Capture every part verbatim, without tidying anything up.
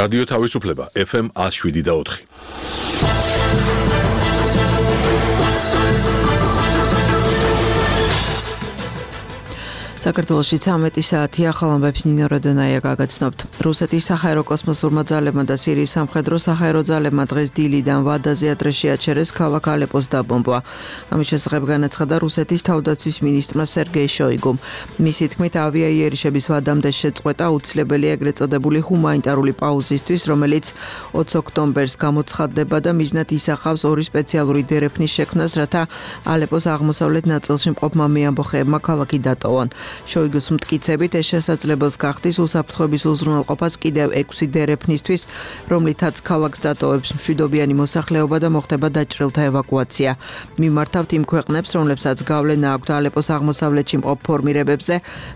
რადიო თავისუფლება ეფ ემ one oh seven და four. საქართველოში ცამეტი საათი ახალ ამბებს ნინო როდონაია გაგაცნობთ. რუსეთის საჰაერო კოსმოსურმა ძალებმა და სირიის სამხედრო საჰაერო ძალებმა დღეს დილიდან ვადაზე ადრესში აჩერეს ქალაქ ალეპოს დაბომბვა. ამის შესახებ განაცხადა რუსეთის თავდაცვის მინისტრმა სერგეი შოიგუმ. მისი თქმით, ავიაიერიშების ვადამდე შეწყვეტა აუცილებელია ეგრეთ წოდებული ჰუმანიტარული პაუზისთვის, რომელიც ოცი ოქტომბერს გამოცხადდება და მიზნად ისახავს ორი სპეციალური დერეფნის შექმნას, რათა ალეპოს აღმოსავლეთ ნაწილში მყოფმა მეამბოხეებმა ქალაქი დატოვონ. შოიგუს მტკიცებით ეს შესაძლებელს გახდის უსაფრთხოების უზრუნველყოფას კიდევ ექვსი დერეფნისთვის, რომლითაც ქალაქს დატოვებს მშვიდობიანი მოსახლეობა და მოხდება დაჭრილთა ევაკუაცია. მიმართავთ იმ ქვეყნებს, რომლებსაც გავლენა აქვთ ალეპოს აღმოსავლეთში მყოფ ფორმირებებზე,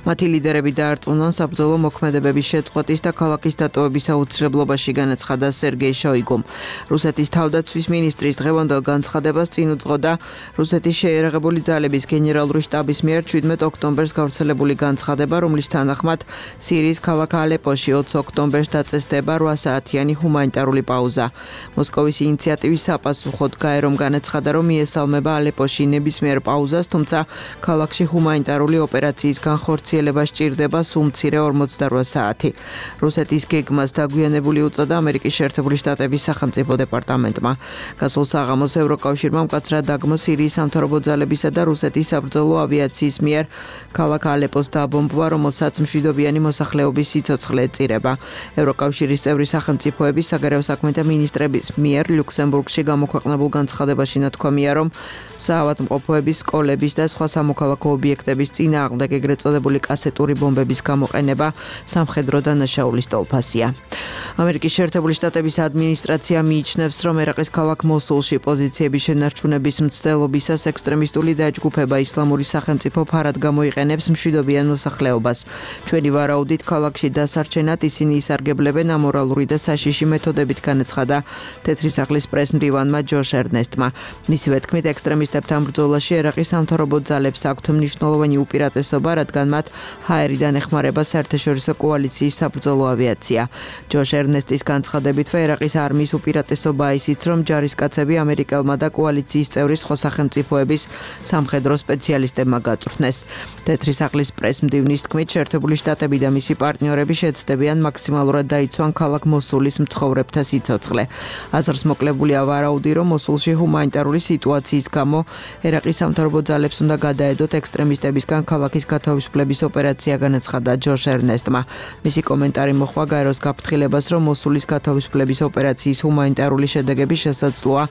მათი ლიდერები დაარწმუნონ საბრძოლო მოქმედებების შეწყვეტის და ქალაქის დატოვების აუცილებლობაში, განაცხადა სერგეი შოიგუმ. რუსეთის თავდაცვის მინისტრის დღევანდელ განცხადებას წინ უძღოდა რუსეთის შეიარაღებული ძალების გენერალური შტაბის მიერ შვიდმეტ ოქტომბერს გავრცელებული განცხადება, რომლის თანახმად სირიის ქალაქ ალეპოში ოცი ოქტომბერს დაწესდება რვა საათიანი ჰუმანიტარული პაუზა. მოსკოვის ინიციატივის საპასუხოდ გაერომ განაცხადა, რომ მიესალმება ალეპოში ნებისმიერ პაუზას, თუმცა ქალაქში ჰუმანიტარული ოპერაციის განხორციელება სჭირდება სულ მცირე ორმოცდარვა საათი. რუსეთის გეგმას დაგვიანებული უწოდა ამერიკის შეერთებული შტატების სახელმწიფო დეპარტამენტმა. გასულ საღამოს ევროკავშირმა მკაცრად დაგმო სირიის სამთავრობო ძალებისა და რუსეთის საბრძოლო ავიაციის მიერ ქალაქ ალეპოს დაბომბვა, რომელსაც მშვიდობიანი მოსახლეობის სიცოცხლე ეწირება. ევროკავშირის წევრი სახელმწიფოების საგარეო საქმეთა მინისტრების მიერ ლუქსემბურგში გამოქვეყნებულ განცხადებაში ნათქვამია, რომ საავადმყოფოების, სკოლების და სხვა სამოქალაქო ობიექტების წინააღმდეგ ეგრეთ წოდებული კასეტური ბომბების გამოყენება სამხედრო დანაშაულის ტოლფასია. ამერიკის შეერთებული შტატების ადმინისტრაცია მიიჩნევს, რომ ერაყის ქალაქ მოსულში პოზიციების შენარჩუნების მცდელობისას ექსტრემისტული დაჯგუფება ისლამური სახელმწიფო ფარად გამოიყენებს მშვიდობიან მოსახლეობას. ჩვენი ვარაუდით ქალაქში დასარჩენად ისინი ისარგებლებენ ამორალური და საშიში მეთოდებით, განაცხადა თეთრი სახლის პრესმდივანმა ჯოშ ერნესტმა. მისივე თქმით, ექსტრემისტებთან ბრძოლაში ერაყის სამთავრობო ძალებს აქვთ მნიშვნელოვანი უპირატესობა, რადგან მათ ჰაერიდან ეხმარება საერთაშორისო კოალიციის საბრძოლო ავიაცია. ჯოშ ერნესტის განცხადებითვე ერაყის არმიის უპირატესობაა ისიც, რომ ჯარისკაცები ამერიკელმა და კოალიციის წევრი სხვა სახელმწიფოების სამხედრო სპეციალისტებმა გაწვრთნეს. თეთრი სახლის პრესმდივნის თქმით, შეერთებული შტატები და მისი პარტნიორები შეცდებიან მაქსიმალურად დაიცვან ქალაქ მოსულის მცხოვრებთა სიცოცხლე. აზრს მოკლებულია ვარაუდი, რომ მოსულში ჰუმანიტარული სიტუაციის გამო ერაყის სამთავრობო ძალებს უნდა გადაედოთ ექსტრემისტებისგან ქალაქის გათავისუფლების ოპერაცია, განაცხადა ჯოშ ერნესტმა. მისი კომენტარი მოჰყვა გაეროს გაფრთხილებას, რომ მოსულის გათავისუფლების ოპერაციის ჰუმანიტარული შედეგები შესაძლოა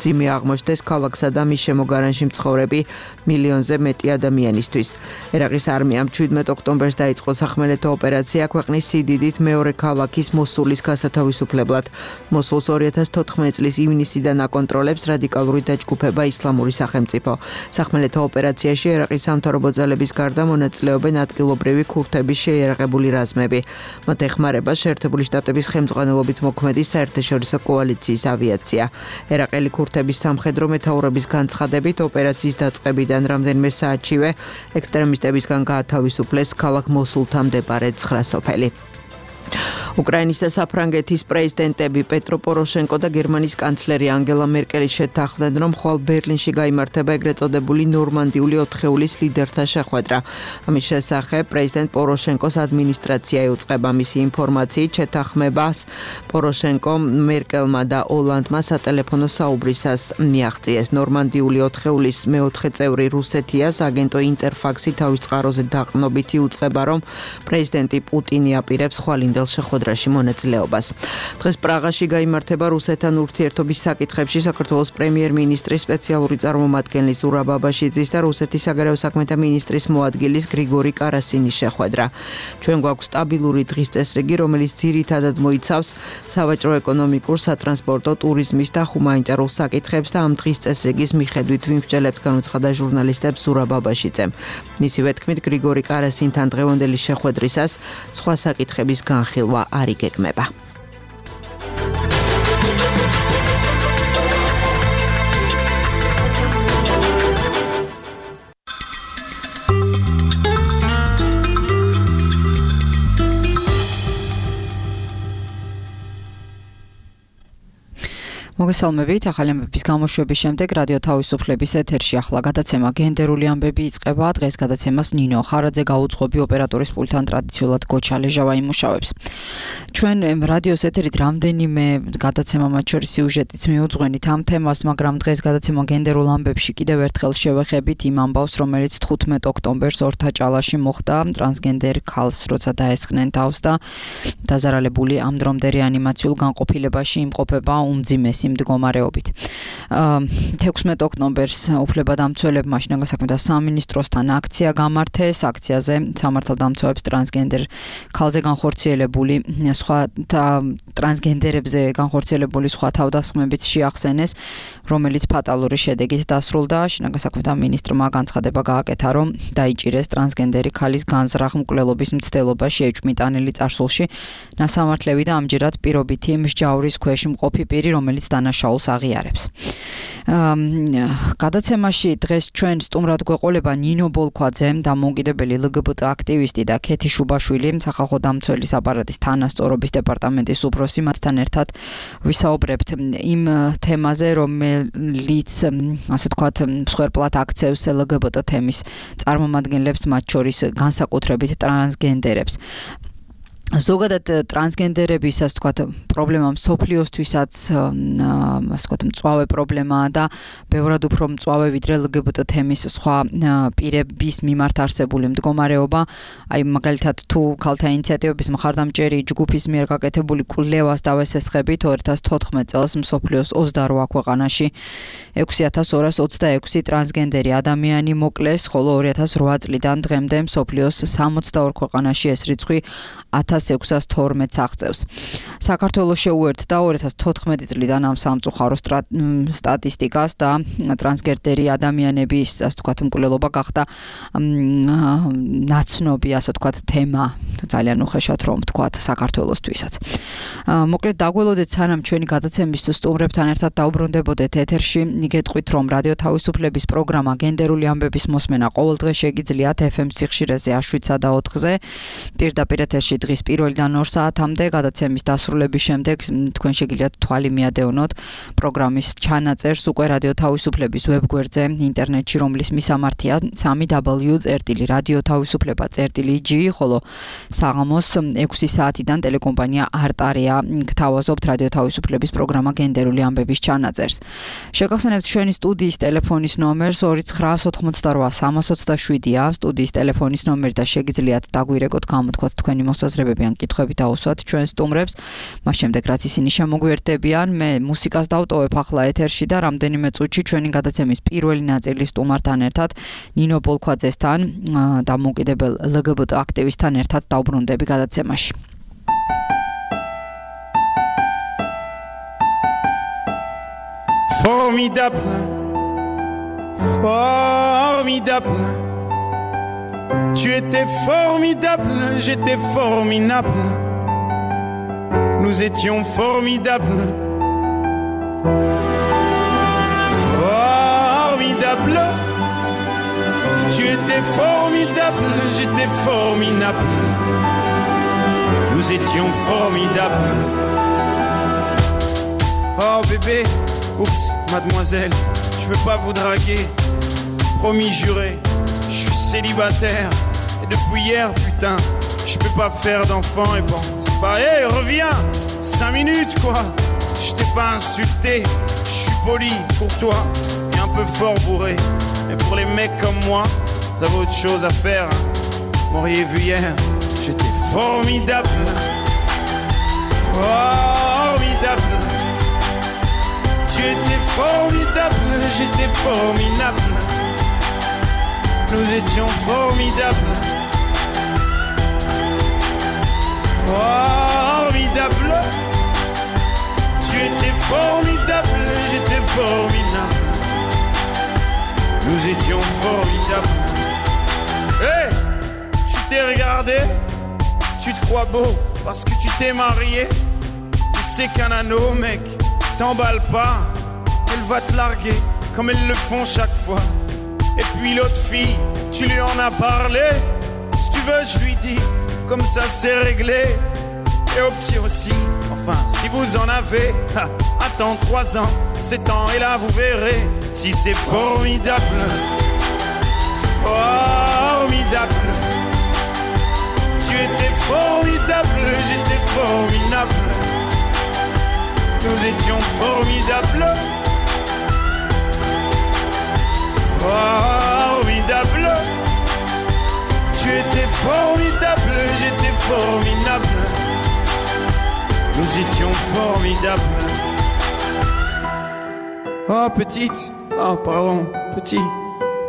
მძიმე აღმოჩნდეს ქალაქსა და მის შემოგარენში მცხოვრები მილიონზე მეტი ადამიანისთვის. ერაყის არმიამ შვიდმეტ ოქტომბერს დაიწყო სახმელეთო ოპერაცია ქვეყნის სიდიდით მეორე ქალაქის მოსულის გასათავისუფლებლად. მოსულს ორი ათას თოთხმეტი წლის ივნისიდან აკონტროლებს რადიკალური დაჯგუფება ისლამური სახელმწიფო. სახმელეთო ოპერაციაში ერაყის სამთავრობო ძალების გარდა მონაწილეობენ ადგილობრივი ქურთების შეიარაღებული რაზმები. მათ ეხმარება შეერთებული შტატების ხელმძღვანელობით მოქმედი საერთაშორისო კოალიციის ავიაცია. ერაყელი ქურთების სამხედრო მეთაურების განცხადებით, ოპერაციის დაწყებიდან რამდენიმე საათშივე ექსტრემისტებისგან გაათავისუფლეს ქალაქ მოსულთან მდებარე ცხრა სოფელი. უკრაინის და საფრანგეთის პრეზიდენტები პეტრო პოროშენკო და გერმანიის კანცლერი ანგელა მერკელი შეთანხმდნენ, რომ ხვალ ბერლინში გაიმართება ეგრეთ წოდებული ნორმანდიული ოთხეულის ლიდერთა შეხვედრა. ამის შესახებ პრეზიდენტ პოროშენკოს ადმინისტრაცია იუწყება. მისი ინფორმაციით, შეთანხმებას პოროშენკომ, მერკელმა და ოლანდმა სატელეფონო საუბრისას მიაღწიეს. ნორმანდიული ოთხეულის მეოთხე წევრი რუსეთიას აგენტო ინტერფაქსი თავის წყაროზე დაყრდნობით იუწყება, რომ პრეზიდენტი პუტინი აპირებს ხვალინდელ შეხვედრაში მონაწილეობას. დღეს პრაღაში გაიმართება რუსეთთან ურთიერთობის საკითხებში საქართველოს პრემიერ-მინისტრის სპეციალური წარმომადგენლის ზურაბ აბაშიძის და რუსეთის საგარეო საქმეთა მინისტრის მოადგილის გრიგორი კარასინის შეხვედრა. ჩვენ გვაქვს სტაბილური დღის წესრიგი, რომელიც ძირითადად მოიცავს სავაჭრო-ეკონომიკურ, სატრანსპორტო, ტურიზმის და ჰუმანიტარულ საკითხებს და ამ დღის წესრიგის მიხედვით ვიმსჯელებთ, განუცხადა ჟურნალისტებს ზურაბ აბაშიძემ. მისივე თქმით, გრიგორი კარასინთან დღევანდელი შეხვედრისას სხვა საკითხების განხილვა არ იგეგმება. მოგესალმებით. ახალი ამბების გამოშვების შემდეგ რადიო თავისუფლების ეთერში ახლა გადაცემა გენდერული ამბები იწყება. დღეს გადაცემას ნინო ხარაძე გაუძღვები ოპერატორის პულტთან ტრადიციულად გოჩა ლეჟავა იმუშავებს. ჩვენ რადიოს ეთერით რამდენიმე გადაცემა მათ შორის სიუჟეტიც მიუძღვენით ამ თემას, მაგრამ დღეს გადაცემა გენდერულ ამბებში კიდევ ერთხელ შევეხებით იმ ამბავს, რომელიც თხუთმეტ ოქტომბერს ორთაჭალაში მოხდა ტრანსგენდერ ქალს, როცა დაესხნენ თავს და დაზარალებული ამ დრომდე რეანიმაციულ განყოფილებაში იმყოფება უმძიმესი მდგომარეობით. თექვსმეტ ოქტომბერს უფლებადამცველებმა შინაგან საქმეთა სამინისტროსთან აქცია გამართეს. აქციაზე სამართალდამცავებს ტრანსგენდერ ქალზე განხორციელებული სხვა ტრანსგენდერებზე განხორციელებული სხვა თავდასხმებიც შეახსენეს, რომელიც ფატალური შედეგით დასრულდა. შინაგან საქმეთა მინისტრმა განცხადება გააკეთა, რომ დაიჭირეს ტრანსგენდერი ქალის განზრახ მკვლელობის მცდელობა შეიჭმიტანილი წარსულში ნასამართლევი და ამჯერად პირობითი მსჯაურის ქვეშ მყოფი პირი, რომელიც დანაშაულს აღიარებს. გადაცემაში დღეს ჩვენ სტუმრად გვეყოლება ნინო ბოლქვაძე, დამოუკიდებელი ლგბტ აქტივისტი და ქეთი შუბაშვილი, სახალხო დამცველის აპარატის თანასწორობის დეპარტამენტის უფროსი. მათთან ერთად ვისაუბრებთ იმ თემაზე, რომელიც ასე ვთქვათ, მსხვერპლად აქცევს ლგბტ თემის წარმომადგენლებს, მათ შორის განსაკუთრებით ტრანსგენდერებს. ზოგადად ტრანსგენდერების ასე ვთქვათ პრობლემა მსოფლიოსთვისაც ასე ვთქვათ მწვავე პრობლემაა და ბევრად უფრო მწვავე ვიდრე ლგბტ თემის სხვა პირების მიმართ არსებული მდგომარეობა. აი მაგალითად თუ ქალთა ინიციატივების მხარდამჭერი ჯგუფის მიერ გაკეთებული კვლევას დავესესხებით, ორი ათას თოთხმეტ წელს მსოფლიოს ოცდარვა ქვეყანაში ექვსი ათას ორას ოცდაექვსი ტრანსგენდერი ადამიანი მოკლეს, ხოლო ორი ათას რვა წლიდან დღემდე მსოფლიოს სამოცდაორ ქვეყანაში ეს რიცხვი ათას ექვსას თორმეტს აღწევს. საქართველოს შეუერთდა ორი ათას თოთხმეტი წლიდან ამ სამწუხარო სტატისტიკას და ტრანსგენდერი ადამიანების ასე ვთქვათ მკვლელობა გახდა ნაცნობი ასე ვთქვათ თემა, ძალიან უხეშად რომ ვთქვათ საქართველოსთვისაც. მოკლედ დაგველოდეთ, სანამ ჩვენი გადაცემის სტუმრებთან ერთად დაუბრუნდებოდეთ ეთერში, გეტყვით, რომ რადიო თავისუფლების პროგრამა გენდერული ამბების მოსმენა ყოველდღე შეგიძლიათ ეფ ემ სიხშირეზე შვიდსა და ოთხზე, პირდაპირ ეთერში დღის პირველიდან ორ საათამდე. გადაცემის დასრულების შემდეგ თქვენ შეგიძლიათ თვალი მიადევნოთ პროგრამის ჩანაწერს უკვე რადიო თავისუფლების ვებგვერდზე ინტერნეტში, რომლის მისამართია სამი დაბლიუ წერტილი რადიო თავისუფლება წერტილი ჯი, ხოლო საღამოს ექვსი საათიდან ტელეკომპანია არტარია გთავაზობთ რადიო თავისუფლების პროგრამა გენდერული ამბების ჩანაწერს. შეგახსენებთ ჩვენი სტუდიის ტელეფონის ნომერს ორი ცხრა ოთხმოცდარვა სამას ოცდაშვიდია, სტუდიის ტელეფონის ნომერი და შეგიძლიათ დაგვირეკოთ, გამოთქვათ თქვენი მოსაზრებები ან კითხვები დაუსვათ ჩვენ სტუმრებს. მას შემდეგ რაც ისინი შემოგვიერთდებიან, მე მუსიკას დავტოვებ ახლა ეთერში და რამდენიმე წუთში ჩვენი გადაცემის პირველი ნაწილი სტუმართან ერთად ნინო ბოლქვაძესთან, დამოუკიდებელ ლგბტ აქტივისტთან ერთად დავბრუნდები გადაცემაში. Formidable, formidable. Tu étais formidable, j'étais formidable. Nous étions formidables. Formidable. Tu étais formidable, j'étais formidable. Nous étions formidables. Oh bébé, oups, mademoiselle, je veux pas vous draguer. Promis juré, je suis célibataire. Et depuis hier, putain, je peux pas faire d'enfant. Et bon, c'est pas, hé, hey, reviens, cinq minutes quoi. Je t'ai pas insulté, je suis poli pour toi. Et un peu fort bourré. Mais pour les mecs comme moi, ça vaut autre chose à faire. Hein. M'auriez vu hier, j'étais formidable. Formidable. Tu étais formidable, j'étais formidable. Nous étions formidables. Formidable. Tu étais formidable, j'étais formidable. Nous étions formidables. Hé, hey, tu t'es regardé, tu te crois beau parce que tu t'es marié. C'est qu'un anneau, mec, t'emballe pas. Elle va te larguer comme elles le font chaque fois. Et puis l'autre fille, tu lui en as parlé. Si tu veux, je lui dis, comme ça c'est réglé. et aux petits aussi. Enfin, si vous en avez, ha, attends trois ans, sept ans, et là vous verrez si c'est formidable. Formidable. Tu étais formidable, j'étais formidable. Nous étions formidables. Formidable. Tu étais formidable, j'étais formidable. Nous étions formidables. Oh petite, oh pardon, petit.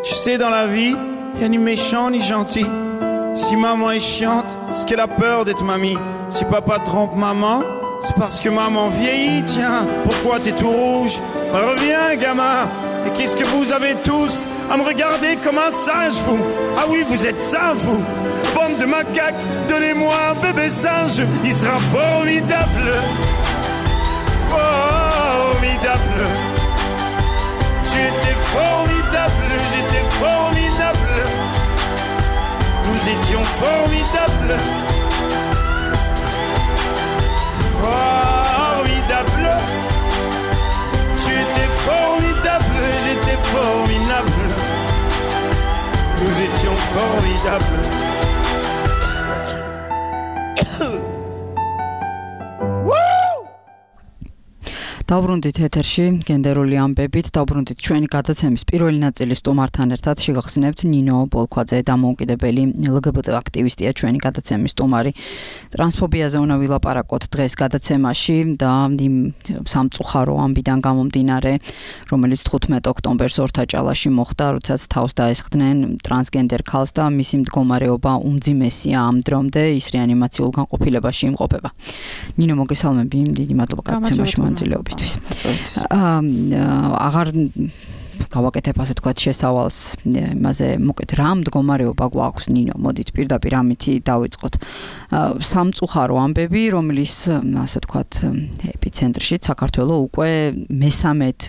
Tu sais dans la vie, y'a ni méchant ni gentil. Si maman est chiante, c'est qu'elle a peur d'être mamie. Si papa trompe maman, c'est parce que maman vieillit. Tiens, pourquoi t'es tout rouge? Bah, reviens gamin. Et qu'est-ce que vous avez tous à me regarder comme un singe, vous? Ah oui, vous êtes ça, vous. Bande de macaques, donnez-moi un bébé singe. Il sera formidable. Formidable. Tu étais formidable, j'étais formidable. Nous étions formidables. Formidable. Tu étais formidable, j'étais formidable. Nous étions formidables. დავბრუნდით ეთერში გენდერული ამბებით, დავბრუნდით ჩვენი გადაცემის პირველი ნაწილის სტუმართან ერთად შეგახსენებთ ნინო ბოლქვაძე, დამოუკიდებელი ელგბტ აქტივისტია, ჩვენი გადაცემის სტუმარი. ტრანსფობიაზე უნდა ვილაპარაკოთ დღეს გადაცემაში და იმ სამწუხარო ამბიდან გამომდინარე, რომელიც თხუთმეტ ოქტომბერს ორთაჭალაში მოხდა, როდესაც თავს დაესხდნენ ტრანსგენდერ ქალს და მისი მდგომარეობა უმძიმესია ამ დრომდე, ის რეანიმაციულ განყოფილებაში იმყოფება. ნინო, მოგესალმები, დიდი მადლობა გადაცემაში მონაწილეობისთვის. აღარ გავაკეთებ ასე თქვათ შესავალს იმაზე მოკეთ რა მდგომარეობა გვაქვს ნინო, მოდით პირდაპირ ამითი დავიწყოთ. სამწუხარო ამბები, რომლის ასე თქვათ ეპიცენტრში საქართველო უკვე მესამედ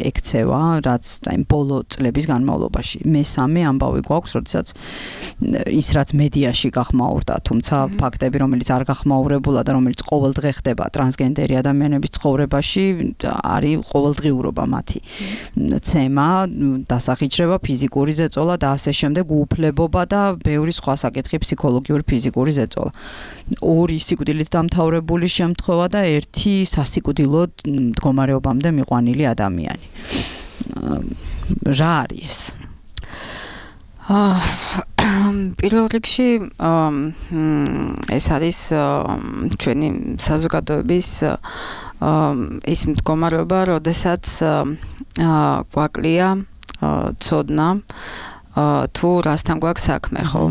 ექცევა, რაც აი ბოლო წლების განმავლობაში. მესამე ამბავი გვაქვს, როდესაც ის რაც მედიაში გახმაურდა, თუმცა ფაქტები, რომელიც არ გახმაურებულა და რომელიც ყოველდღე ხდება ტრანსგენდერი ადამიანების ცხოვრებაში, არის ყოველდღიურობა მათი ცემა, დასახიჩრება, ფიზიკური ზეწოლა და ასე შემდეგ, უუფლებობა და ბევრი სხვა საკითხი, ფსიქოლოგიური, ფიზიკური ზეწოლა. ორი სიკვდილით დამთავრებული შემთხვევა და ერთი სასიკვდილოდ მდგომარეობამდე მიყვანილი ადამიანი. რა არის ეს? პირველ რიგში ეს არის ჩვენი საზოგადოების ის მდგომარეობა, როდესაც გვაკლია ცოდნა თუ რასთან გვაქვს საქმე, ხო?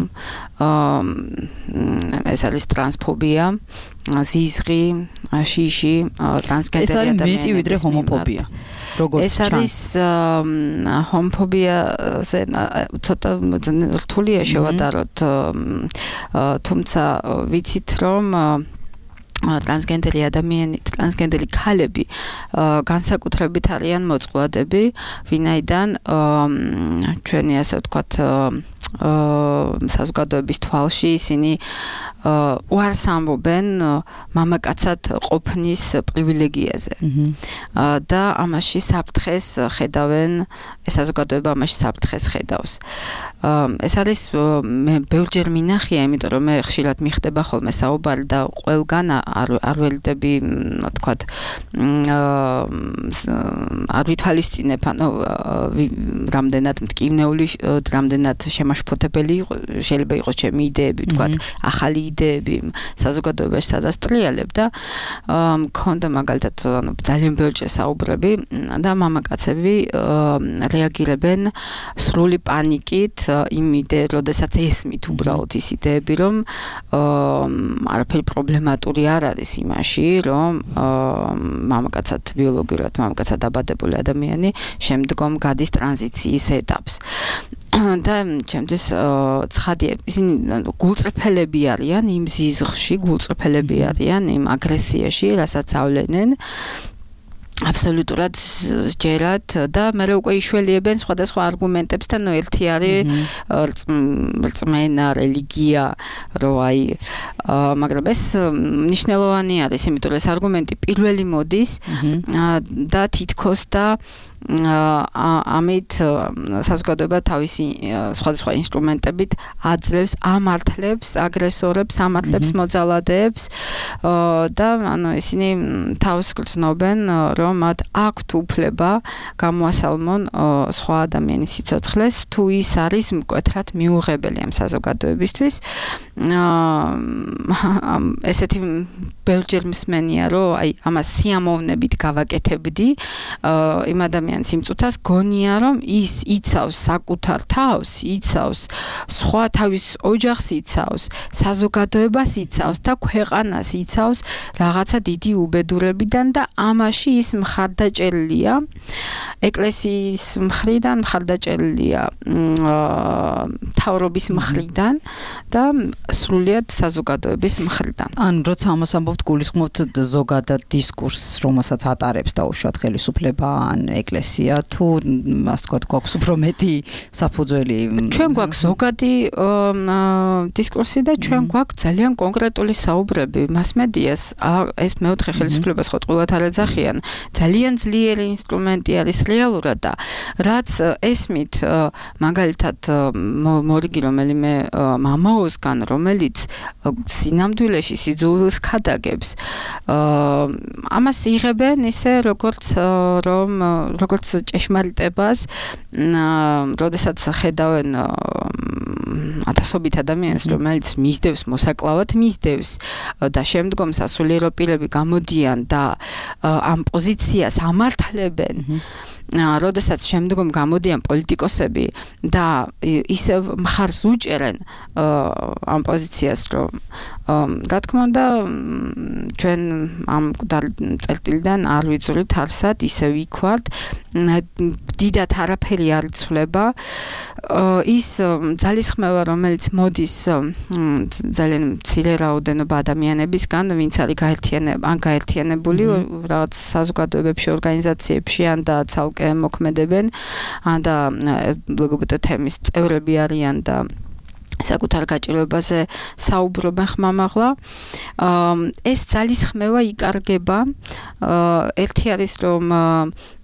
ეს არის ტრანსფობია, ზიზღი, შიში, ტრანსგენდერი ადამიანები. ეს არის მეტი ვიდრე ჰომოფობია. ეს არის ჰომოფობიაზე ცოტა რთულია შევადაროთ, თუმცა ვიცით რომ ტრანსგენდერი ადამიანები, ტრანსგენდერი ქალები განსაკუთრებით არიან მოწყვლადები, ვინაიდან ჩვენი ასე ვთქვათ საზოგადოების თვალში ისინი უარს ამბობენ მამაკაცად ყოფნის პრივილეგიაზე. და ამაში საფრთხეს ხედავენ, ეს საზოგადოება ამაში საფრთხეს ხედავს. ეს არის მე ბევრჯერ მინახია, იმიტომ რომ მე ხშირად მიხდება ხოლმე საუბარი და ყველგან არ ველდები, თქვათ, არ ვითვალისწინებ, ანუ რამდენად მტკივნეული, რამდენად შემაშფოთებელი შეიძლება იყოს ჩემი იდეები, თქვათ, ახალი იდეები საზოგადოებაში სადაც ტრიალებ და მქონდა მაგალითად, ანუ ძალიან ბევრჯერ საუბრები და მამაკაცები რეაგირებენ სრული პანიკით იმ იდეით, როდესაც ესმით უბრალოდ ის იდეები, რომ არაფერი პრობლემატური არ არის იმაში, რომ მამაკაცად ბიოლოგიურად მამაკაცად დაბადებული ადამიანი შემდგომ გადის ტრანზიციის ეტაპს. და ჩემთვის ცხადია, ისინი გულწრფელები არიან იმ ზიზღში, გულწრფელები არიან იმ აგრესიაში, რასაც ავლენენ. აბსოლუტურად ჯერათ და მე უკვე იშველიებენ სხვადასხვა არგუმენტებს და ნუ ერთი არის რწმენა, რელიგია, რომ აი მაგრამ ეს მნიშვნელოვანი არის, იმიტომ რომ ეს არგუმენტი პირველი მოდის და თითქოს და ამით საზოგადოება თავისი სხვადასხვა ინსტრუმენტებით აძლევს, ამართლებს აგრესორებს, ამართლებს მოძალადეებს და ანუ ისინი თავს გრძნობენ, რომ მათ აქვთ უფლება გამოასალმონ სხვა ადამიანის სიცოცხლეს, თუ ის არის მკვეთრად მიუღებელი ამ საზოგადოებისთვის. ესეთი ბევრჯერ მსმენია, რომ აი ამას სიამოვნებით გავაკეთებდი იმ ადამიანის იმწუთას, გონია, რომ ის იცავს საკუთარ თავს, იცავს სხვა თავის ოჯახს იცავს, საზოგადოებას იცავს და ქვეყანას იცავს რაღაცა დიდი უბედურებიდან და ამაში ის მხარდაჭერილია ეკლესიის მხრიდან, მხარდაჭერილია მთავრობის მხრიდან და სრულიად საზოგადოების მხრიდან. ან როცა ამას ამბობთ, გულისხმობთ ზოგადად დისკურსს, რომელსაც ატარებს დაუშვათ ხელისუფლება ან ეკლესია, თუ ასე ვთქვათ, გვაქვს უფრო მეტი საფუძველი? ჩვენ გვაქვს ზოგადი დისკურსი და ჩვენ გვაქვს ძალიან კონკრეტული საუბრები მასმედიას. ეს მეოთხე ხელისუფლებას ხო ტყუილად არ ეძახიან. ძალიან ძლიერი ინსტრუმენტი არის რეალურად და რაც ესმით მაგალითად მორიგი რომელიმე მამაოსგან, რომელიც სინამდვილეში სიძულვილს ქადაგებს, ამას იღებენ ისე როგორც რომ როგორც ჭეშმარიტებას, როდესაც ხედავენ ათასობით ადამიანს, რომელიც მისდევს მოსაკლავად, მისდევს და შემდგომ სასულიერო პირები გამოდიან და ამ პოზიციას ამართლებენ. როდესაც შემდგომ გამოდიან პოლიტიკოსები და ისევ მხარს უჭერენ ამ პოზიციას, რომ რა თქმა უნდა ჩვენ ამ წერტილიდან არ ვიწვრით არსად, ისე ვიქვართ, დიდად არაფერი არ იცვლება. ის ძალისხმევა, რომელიც მოდის ძალიან მცირე რაოდენობა ადამიანებისგან, ვინც არის გაერთიანებული, ან გაერთიანებული რაღაც საზოგადოებებში, ორგანიზაციებში, ან და ცალკე მოქმედებენ, ან და ლგბტ თემის წევრები არიან და საკუთარ გაჭირვებაზე საუბრობენ ხმამაღლა. ეს ძალისხმევა იკარგება. ერთი არის, რომ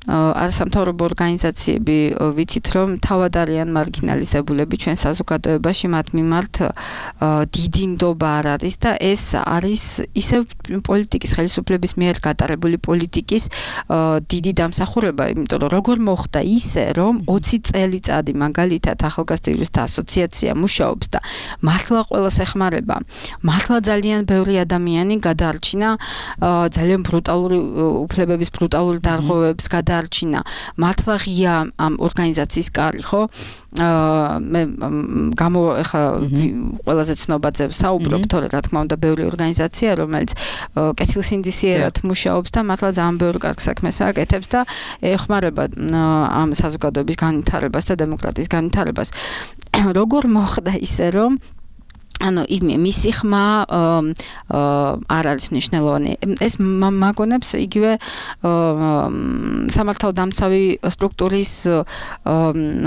არასამთავრობო ორგანიზაციები ვიცით, რომ თავად არიან მარგინალიზებულები ჩვენ საზოგადოებაში, მათ მიმართ დიდი ნდობა არ არის და ეს არის ისევ პოლიტიკის, ხელისუფლების მიერ გატარებული პოლიტიკის დიდი დამსახურება, იმიტომ რომ როგორ მოხდა ისე, რომ ოცი წელიწადი მაგალითად ახალგაზრდთა ასოციაცია მუშაობს და მართლა ყველას ეხმარება, მართლა ძალიან ბევრი ადამიანი გადაარჩინა ძალიან ბრუტალური უფლებების ბრუტალური დარღვევებს გადა არჩინა. მართლა ღია ამ ორგანიზაციის კარი, ხო? მე გამო ახლა ყველაზე ცნობაზე ვსაუბრობ, თორე რა თქმა უნდა ბევრი ორგანიზაცია, რომელიც კეთილსინდისიერად მუშაობს და მართლა ძალიან ბევრი კარგ საქმეს აკეთებს და ეხმარება ამ საზოგადოების განვითარებას და დემოკრატიის განვითარებას. როგორ მოხდა ისე, რომ ანუ მისი ხმა არ არის მნიშვნელოვანი. ეს მაგონებს იგივე სამართალდამცავი სტრუქტურის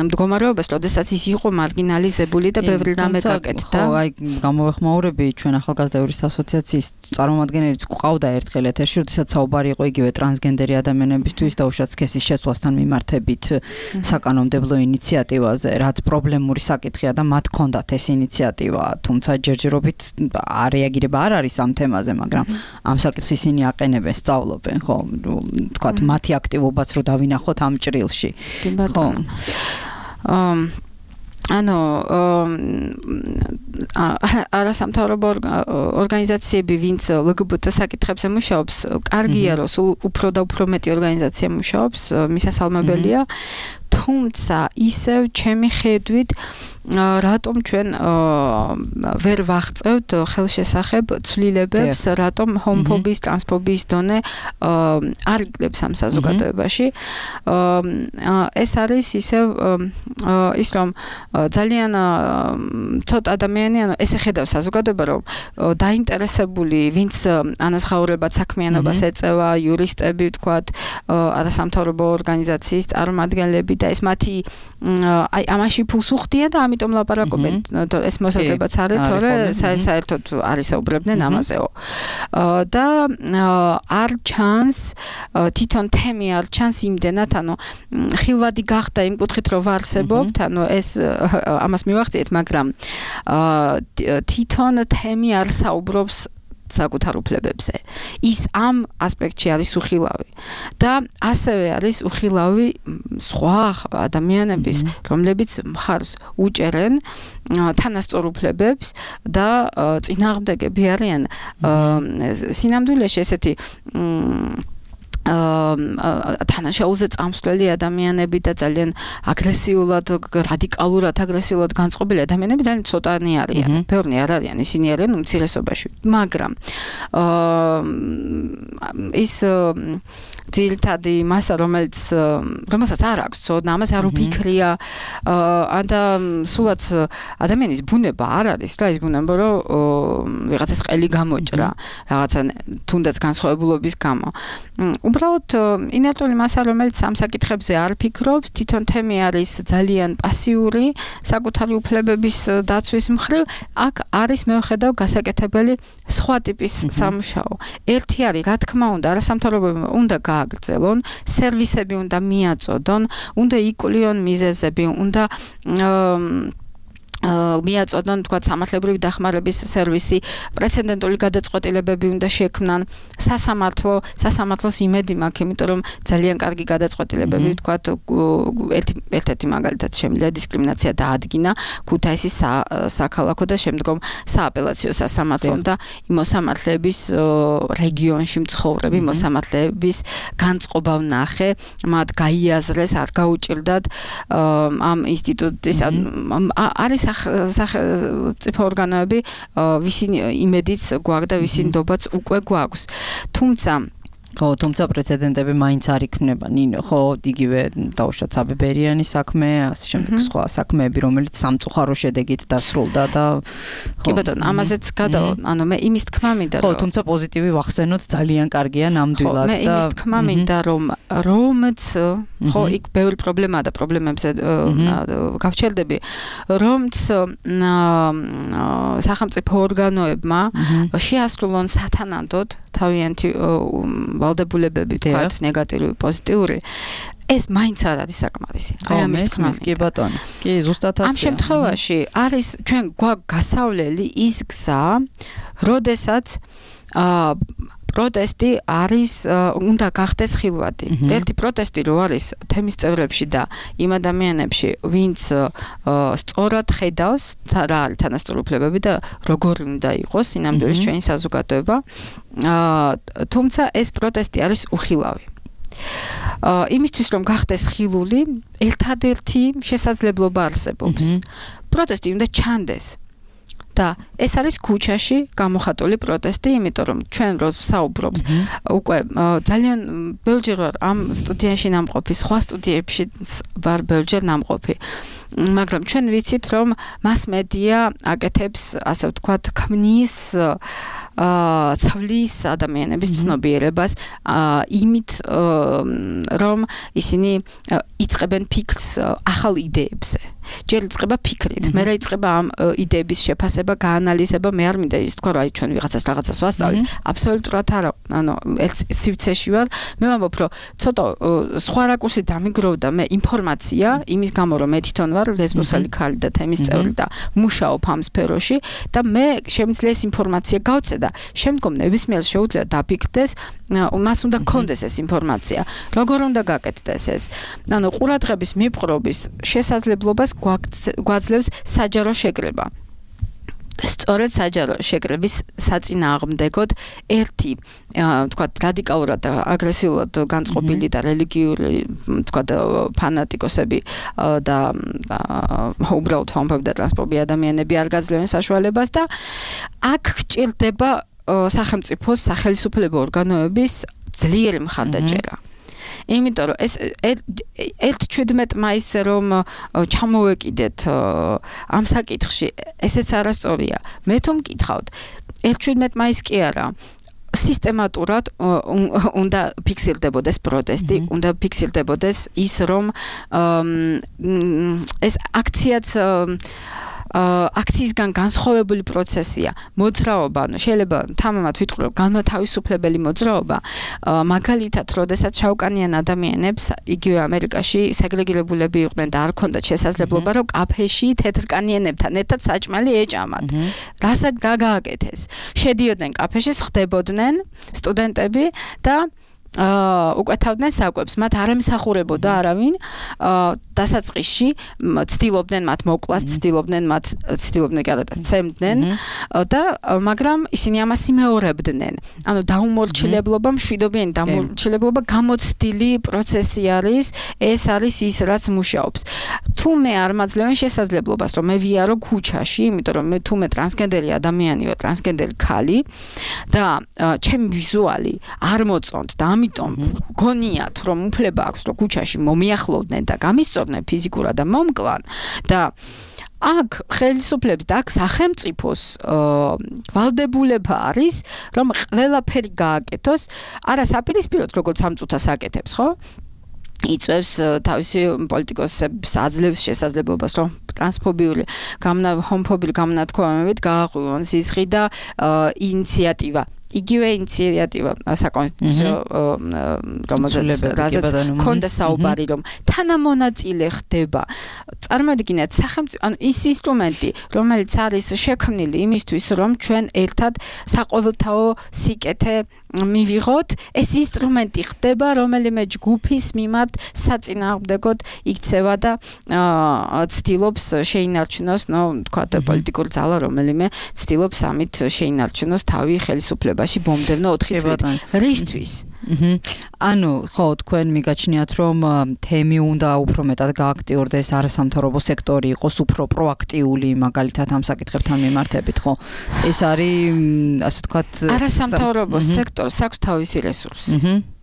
მდგომარეობას, როდესაც ის იყო მარგინალიზებული და ბევრი რამე გაკეთდა. ხო, აი გამოვეხმაურები ჩვენ ახალგაზრდების ასოციაციის წარმომადგენელიც გვყავდა ერთხელ ეთერში, როდესაც საუბარი იყო იგივე ტრანსგენდერი ადამიანებისთვის და უშუალოდ სქესის შეცვლასთან მიმართებით საკანონმდებლო ინიციატივაზე, რაც პრობლემური საკითხია და მათ ჰქონდათ ეს ინიციატივა, თუმცა ჯერჯერობით არეაგირება არ არის ამ თემაზე, მაგრამ ამ საკითხს ისინი აყენებენ, სწავლობენ, ხო, თქვათ მათი აქტივობაც რო დავინახოთ ამ ჭრილში. ხო. ანუ არასამთავრობო ორგანიზაციები, ვინც ლგბტ საკითხებზე მუშაობს, კარგია, რომ სულ უფრო და უფრო მეტი ორგანიზაცია მუშაობს, მისასალმებელია. თუმცა ისევ ჩემი ხედვით რატომ ჩვენ ვერ ვაღწევთ ხელშესახებ ცვლილებებს, რატომ ჰომოფობიის, ტრანსფობიის დონე არ იკლებს ამ საზოგადოებაში. ეს არის ისევ ის რომ ძალიან ცოტა ადამიანი, ანუ ესე ხედავს საზოგადოება, რომ დაინტერესებული, ვინც ანაზღაურებად საქმიანობას ეწევა, იურისტები, ვთქვათ, არასამთავრობო ორგანიზაციის წარმომადგენლები და ეს მათი აი ამაში ფულს უხდიან და ამიტომ ლაპარაკობენ. ეს მოსაზრებაც არის, თორე საერთოდ არ ისაუბრებდნენ ამაზეო. და არ ჩანს თვითონ თემი არ ჩანს იმდენად, ანუ ხილვადი გახდა იმ კუთხით რომ ვარსებობთ, ანუ ეს ამას მივახციეთ, მაგრამ თვითონ თემი არ საუბრობს საკუთარ უფლებებზე. ის ამ ასპექტში არის უხილავი. და ასევე არის უხილავი სხვა ადამიანების, რომლებიც მხარს უჭერენ თანასწორ უფლებებს და წინააღმდეგები არიან სინამდვილეში ესეთი თანაშაულზე წამსვლელი ადამიანები და ძალიან აგრესიულად, რადიკალურად აგრესიულად განწყობილი ადამიანები ძალიან ცოტანი არიან. ბევრნი არ არიან, ისინი არიან უმცირესობაში. მაგრამ ის ძირითადი მასა, რომელიც რომელსაც არ აქვს ცოდნა, ამას არ უფიქრია, და სულაც ადამიანის ბუნება არ არის რა, ის ბუნება, რომ ვიღაცას ყელი გამოჭრა, რაღაცა თუნდაც განსხვავებულობის გამო. უბრალოდ ინერტული მასა, რომელიც ამ საკითხებზე არ ფიქრობს, თვითონ თემი არის ძალიან პასიური საკუთარი უფლებების დაცვის მხრივ, აქ არის მეუხედავ გასაკეთებელი სხვა ტიპის სამუშაო. ერთი არის, რა თქმა უნდა, არასამთავრობოებმა უნდა გააგრძელონ, სერვისები უნდა მიაწოდონ, უნდა იკლიონ მიზეზები, უნდა მიაწოდონ, თქვა, სამართლებრივი დახმარების სერვისი, პრეცედენტული გადაწყვეტილებები უნდა შექმნან, სასამართლო, სასამართლოს იმედი მაქვს, იმიტომ რომ ძალიან კარგი გადაწყვეტილებები, თქვა, ერთ-ერთი მაგალითად შემიძლია დისკრიმინაცია დაადგინა ქუთაისის საქალაქო და შემდგომ სააპელაციო სასამართლომ და მოსამართლეების რეგიონში მცხოვრები მოსამართლეების განწყობა ვნახე, მათ გაიაზრეს, არ გაუჭირდათ ამ ინსტიტუტის არის სახელმწიფო ორგანოები, ვისინ იმედიც გვაქვს და ვისინ ნდობაც უკვე გვაქვს. თუმცა ხო, თუმცა პრეცედენტები მაინც არ იქნება. ნინო, ხო, იგივე დაუშვათ საბებერიანი საქმე, ასე შემდეგ სხვა საქმეები, რომელიც სამწუხარო შედეგით დასრულდა და კი ბატონო, ამაზეც გადავა, ანუ მე იმის თქმა მინდა რომ ხო, თუმცა პოზიტივი ვახსენოთ, ძალიან კარგია ნამდვილად და მე იმის თქმა მინდა რომ რომც ხო, იქ ბევრი პრობლემაა და პრობლემებზე გავჩერდები, რომც სახელმწიფო ორგანოებმა შეასრულონ სათანადოდ თავიანთი ვალდებულებები, თქვათ, ნეგატიური, პოზიტიური, ეს მაინც არ არის საკმარისი. აი ამის თქმა მინდა. კი ბატონო. კი, ზუსტად ასე. ამ შემთხვევაში არის ჩვენ გვაქვს გასავლელი ის გზა, როდესაც პროტესტი არის უნდა გახდეს ხილვადი. ერთი პროტესტი რო არის თემის წევრებში და იმ ადამიანებში, ვინც სწორად ხედავს რა არის თანასწორ უფლებები და როგორი უნდა იყოს სინამდვილეში ჩვენი საზოგადოება. თუმცა ეს პროტესტი არის უხილავი. იმისთვის რომ გახდეს ხილული, ერთადერთი შესაძლებლობა არსებობს. პროტესტი უნდა ჩანდეს. და ეს არის ქუჩაში გამოხატული პროტესტი, იმიტომ რომ ჩვენ რო ვსაუბრობთ, უკვე ძალიან ბევრჯერ ვარ ამ სტუდიაში ნამყოფი, სხვა სტუდიებში ვარ ბევრჯერ ნამყოფი. მაგრამ ჩვენ ვიცით, რომ მასმედია აკეთებს, ასე ვთქვათ, ქმნის ცვლის ადამიანების ცნობიერებას იმით, რომ ისინი იწყებენ ფიქრს ახალ იდეებზე. ჯერ იწყება ფიქრით, მერე იწყება ამ იდეების შეფასება, გაანალიზება, მე არ მინდა ის თქვა, რომ აი ჩვენ ვიღაცას რაღაცას ვასწავლით, აბსოლუტურად არა. ანუ ერთ სივრცეში ვარ, მე ვამბობ, რომ ცოტა სხვა რაკურსით დამიგროვდა მე ინფორმაცია, იმის გამო, რომ მე თვითონ ვარ ლესბოსელი ქალი და თემის წევრი და მუშაობ ამ სფეროში და მე შემიძლია ეს ინფორმაცია გავცე და შემდგომ ნებისმიერს შეუძლია დაფიქრდეს, მას უნდა გქონდეს ეს ინფორმაცია. როგორ უნდა გაკეთდეს ეს? ანუ ყურადღების მიპყრობის შესაძლებლობას გვაძლევს საჯარო შეკრება. სწორედ საჯარო შეკრების საწინააღმდეგოდ ერთი თქვათ რადიკალურად აგრესიულად განწყობილი და რელიგიური თქვათ ფანატიკოსები და უბრალოდ ჰომოფობი და ტრანსფობი ადამიანები არ გაძლევენ საშუალებას და აქ გჭირდება სახელმწიფოს სახელმწიფო ორგანოების ძლიერი მხარდაჭერა. იმიტომ რომ ეს ერთ ჩვიდმეტ მაისზე რომ ჩამოვეკიდეთ ამ საკითხში, ესეც არასწორია. მე თუ მკითხავთ, ერთ ჩვიდმეტ მაისს კი არა, სისტემატურად უნდა ფიქსირდებოდეს პროტესტი, უნდა ფიქსირდებოდეს ის რომ ეს აქციაც აქციისგან განსხვავებული პროცესია. მოძრაობა, ანუ შეიძლება თამამად ვიტყვი, რომ განმათავისუფლებელი მოძრაობა, მაგალითად, როდესაც შავკანიან ადამიანებს იგივე ამერიკაში სეგრეგირებულები იყვნენ და არ ჰქონდათ შესაძლებლობა, რომ კაფეში თეთრკანიანებთან ერთად საჭმელი ეჭამათ. რასაც გააკეთეს? შედიოდნენ კაფეში, ხდებოდნენ სტუდენტები და უკვეთავდნენ საკვებს, მათ არ ემსახურებოდა არავინ, დასაწყისში ცდილობდნენ მათ მოკვლას, ცდილობდნენ მათ ცდილობდნენ გადატას ცემდნენ და მაგრამ ისინი ამას იმეორებდნენ. ანუ დაუმორჩილებლობა, მშვიდობიანი დაუმორჩილებლობა გამოცდილი პროცესი არის, ეს არის ის, რაც მუშაობს. თუ მე არ მაძლევენ შესაძლებლობას, რომ მე ვიარო ქუჩაში, იმიტომ რომ მე თუ მე ტრანსგენდერი ადამიანი ვარ, ტრანსგენდერი ქალი და ჩემი ვიზუალი არ მოწონთ და ამიტომ გონიათ რომ უფლება აქვს რომ ქუჩაში მომიახლოვდნენ და გამისწორდნენ ფიზიკურად და მომკლან და აქ ხელისუფლების და აქ სახელმწიფოს ვალდებულება არის რომ ყველაფერი გააკეთოს არა საპირისპიროდ როგორც სამწუთას აკეთებს ხო იწევს თავისი პოლიტიკოსებს აძლევს შესაძლებლობას რომ ტრანსფობიული გამნა ჰომოფობიური გამონათქვამებით გააღვივონ სისხლი და ინიციატივა იგივე ინიციატივა საკონსტიტუციო რომელზეც ქონდა საუბარი რომ თანამონაწილე ხდება წარმოვიდგინეთ სახელმწიფო ანუ ის ინსტრუმენტი რომელიც არის შექმნილი იმისთვის რომ ჩვენ ერთად საყოველთაო სიკეთე მივიღოთ ეს ინსტრუმენტი ხდება რომელიმე ჯგუფის მიმართ საწინააღმდეგოდ იქცევა და ცდილობს შეინარჩუნოს ნუ თქვა პოლიტიკური ძალა რომელიმე ცდილობს ამით შეინარჩუნოს თავი ხელისუფლებაში ბომდევნო ოთხი წელი რისთვის ანუ ხო თქვენ მიგაჩნიათ რომ თემი უნდა უფრო მეტად გააქტიურდეს არასამთავრობო სექტორი იყოს უფრო პროაქტიული მაგალითად ამ საკითხებთან მიმართებით ხო ეს არის ასე ვთქვათ არასამთავრობო სექტორს აქვს თავისი რესურსი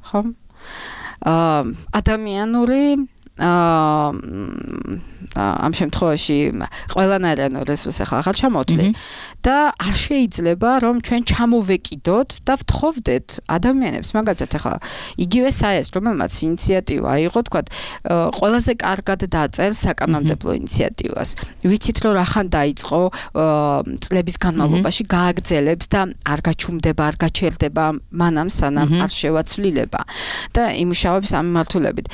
ხო ადამიანური ამ შემთხვევაში ყველანაირ რესურსს ახლა ახალ ჩამოვთვლი და არ შეიძლება რომ ჩვენ ჩამოვეკიდოთ და ვთხოვდეთ ადამიანებს მაგალითად ახლა იგივე საეს რომელმაც ინიციატივა აიღო თქვა ყველაზე კარგად დაწერს საკანონმდებლო ინიციატივას ვიცით რომ რახან დაიწყო წლების განმავლობაში გააგრძელებს და არ გაჩუმდება არ გაჩერდება მანამ სანამ არ შევაცვლილება და იმუშავებს ამ მიმართულებით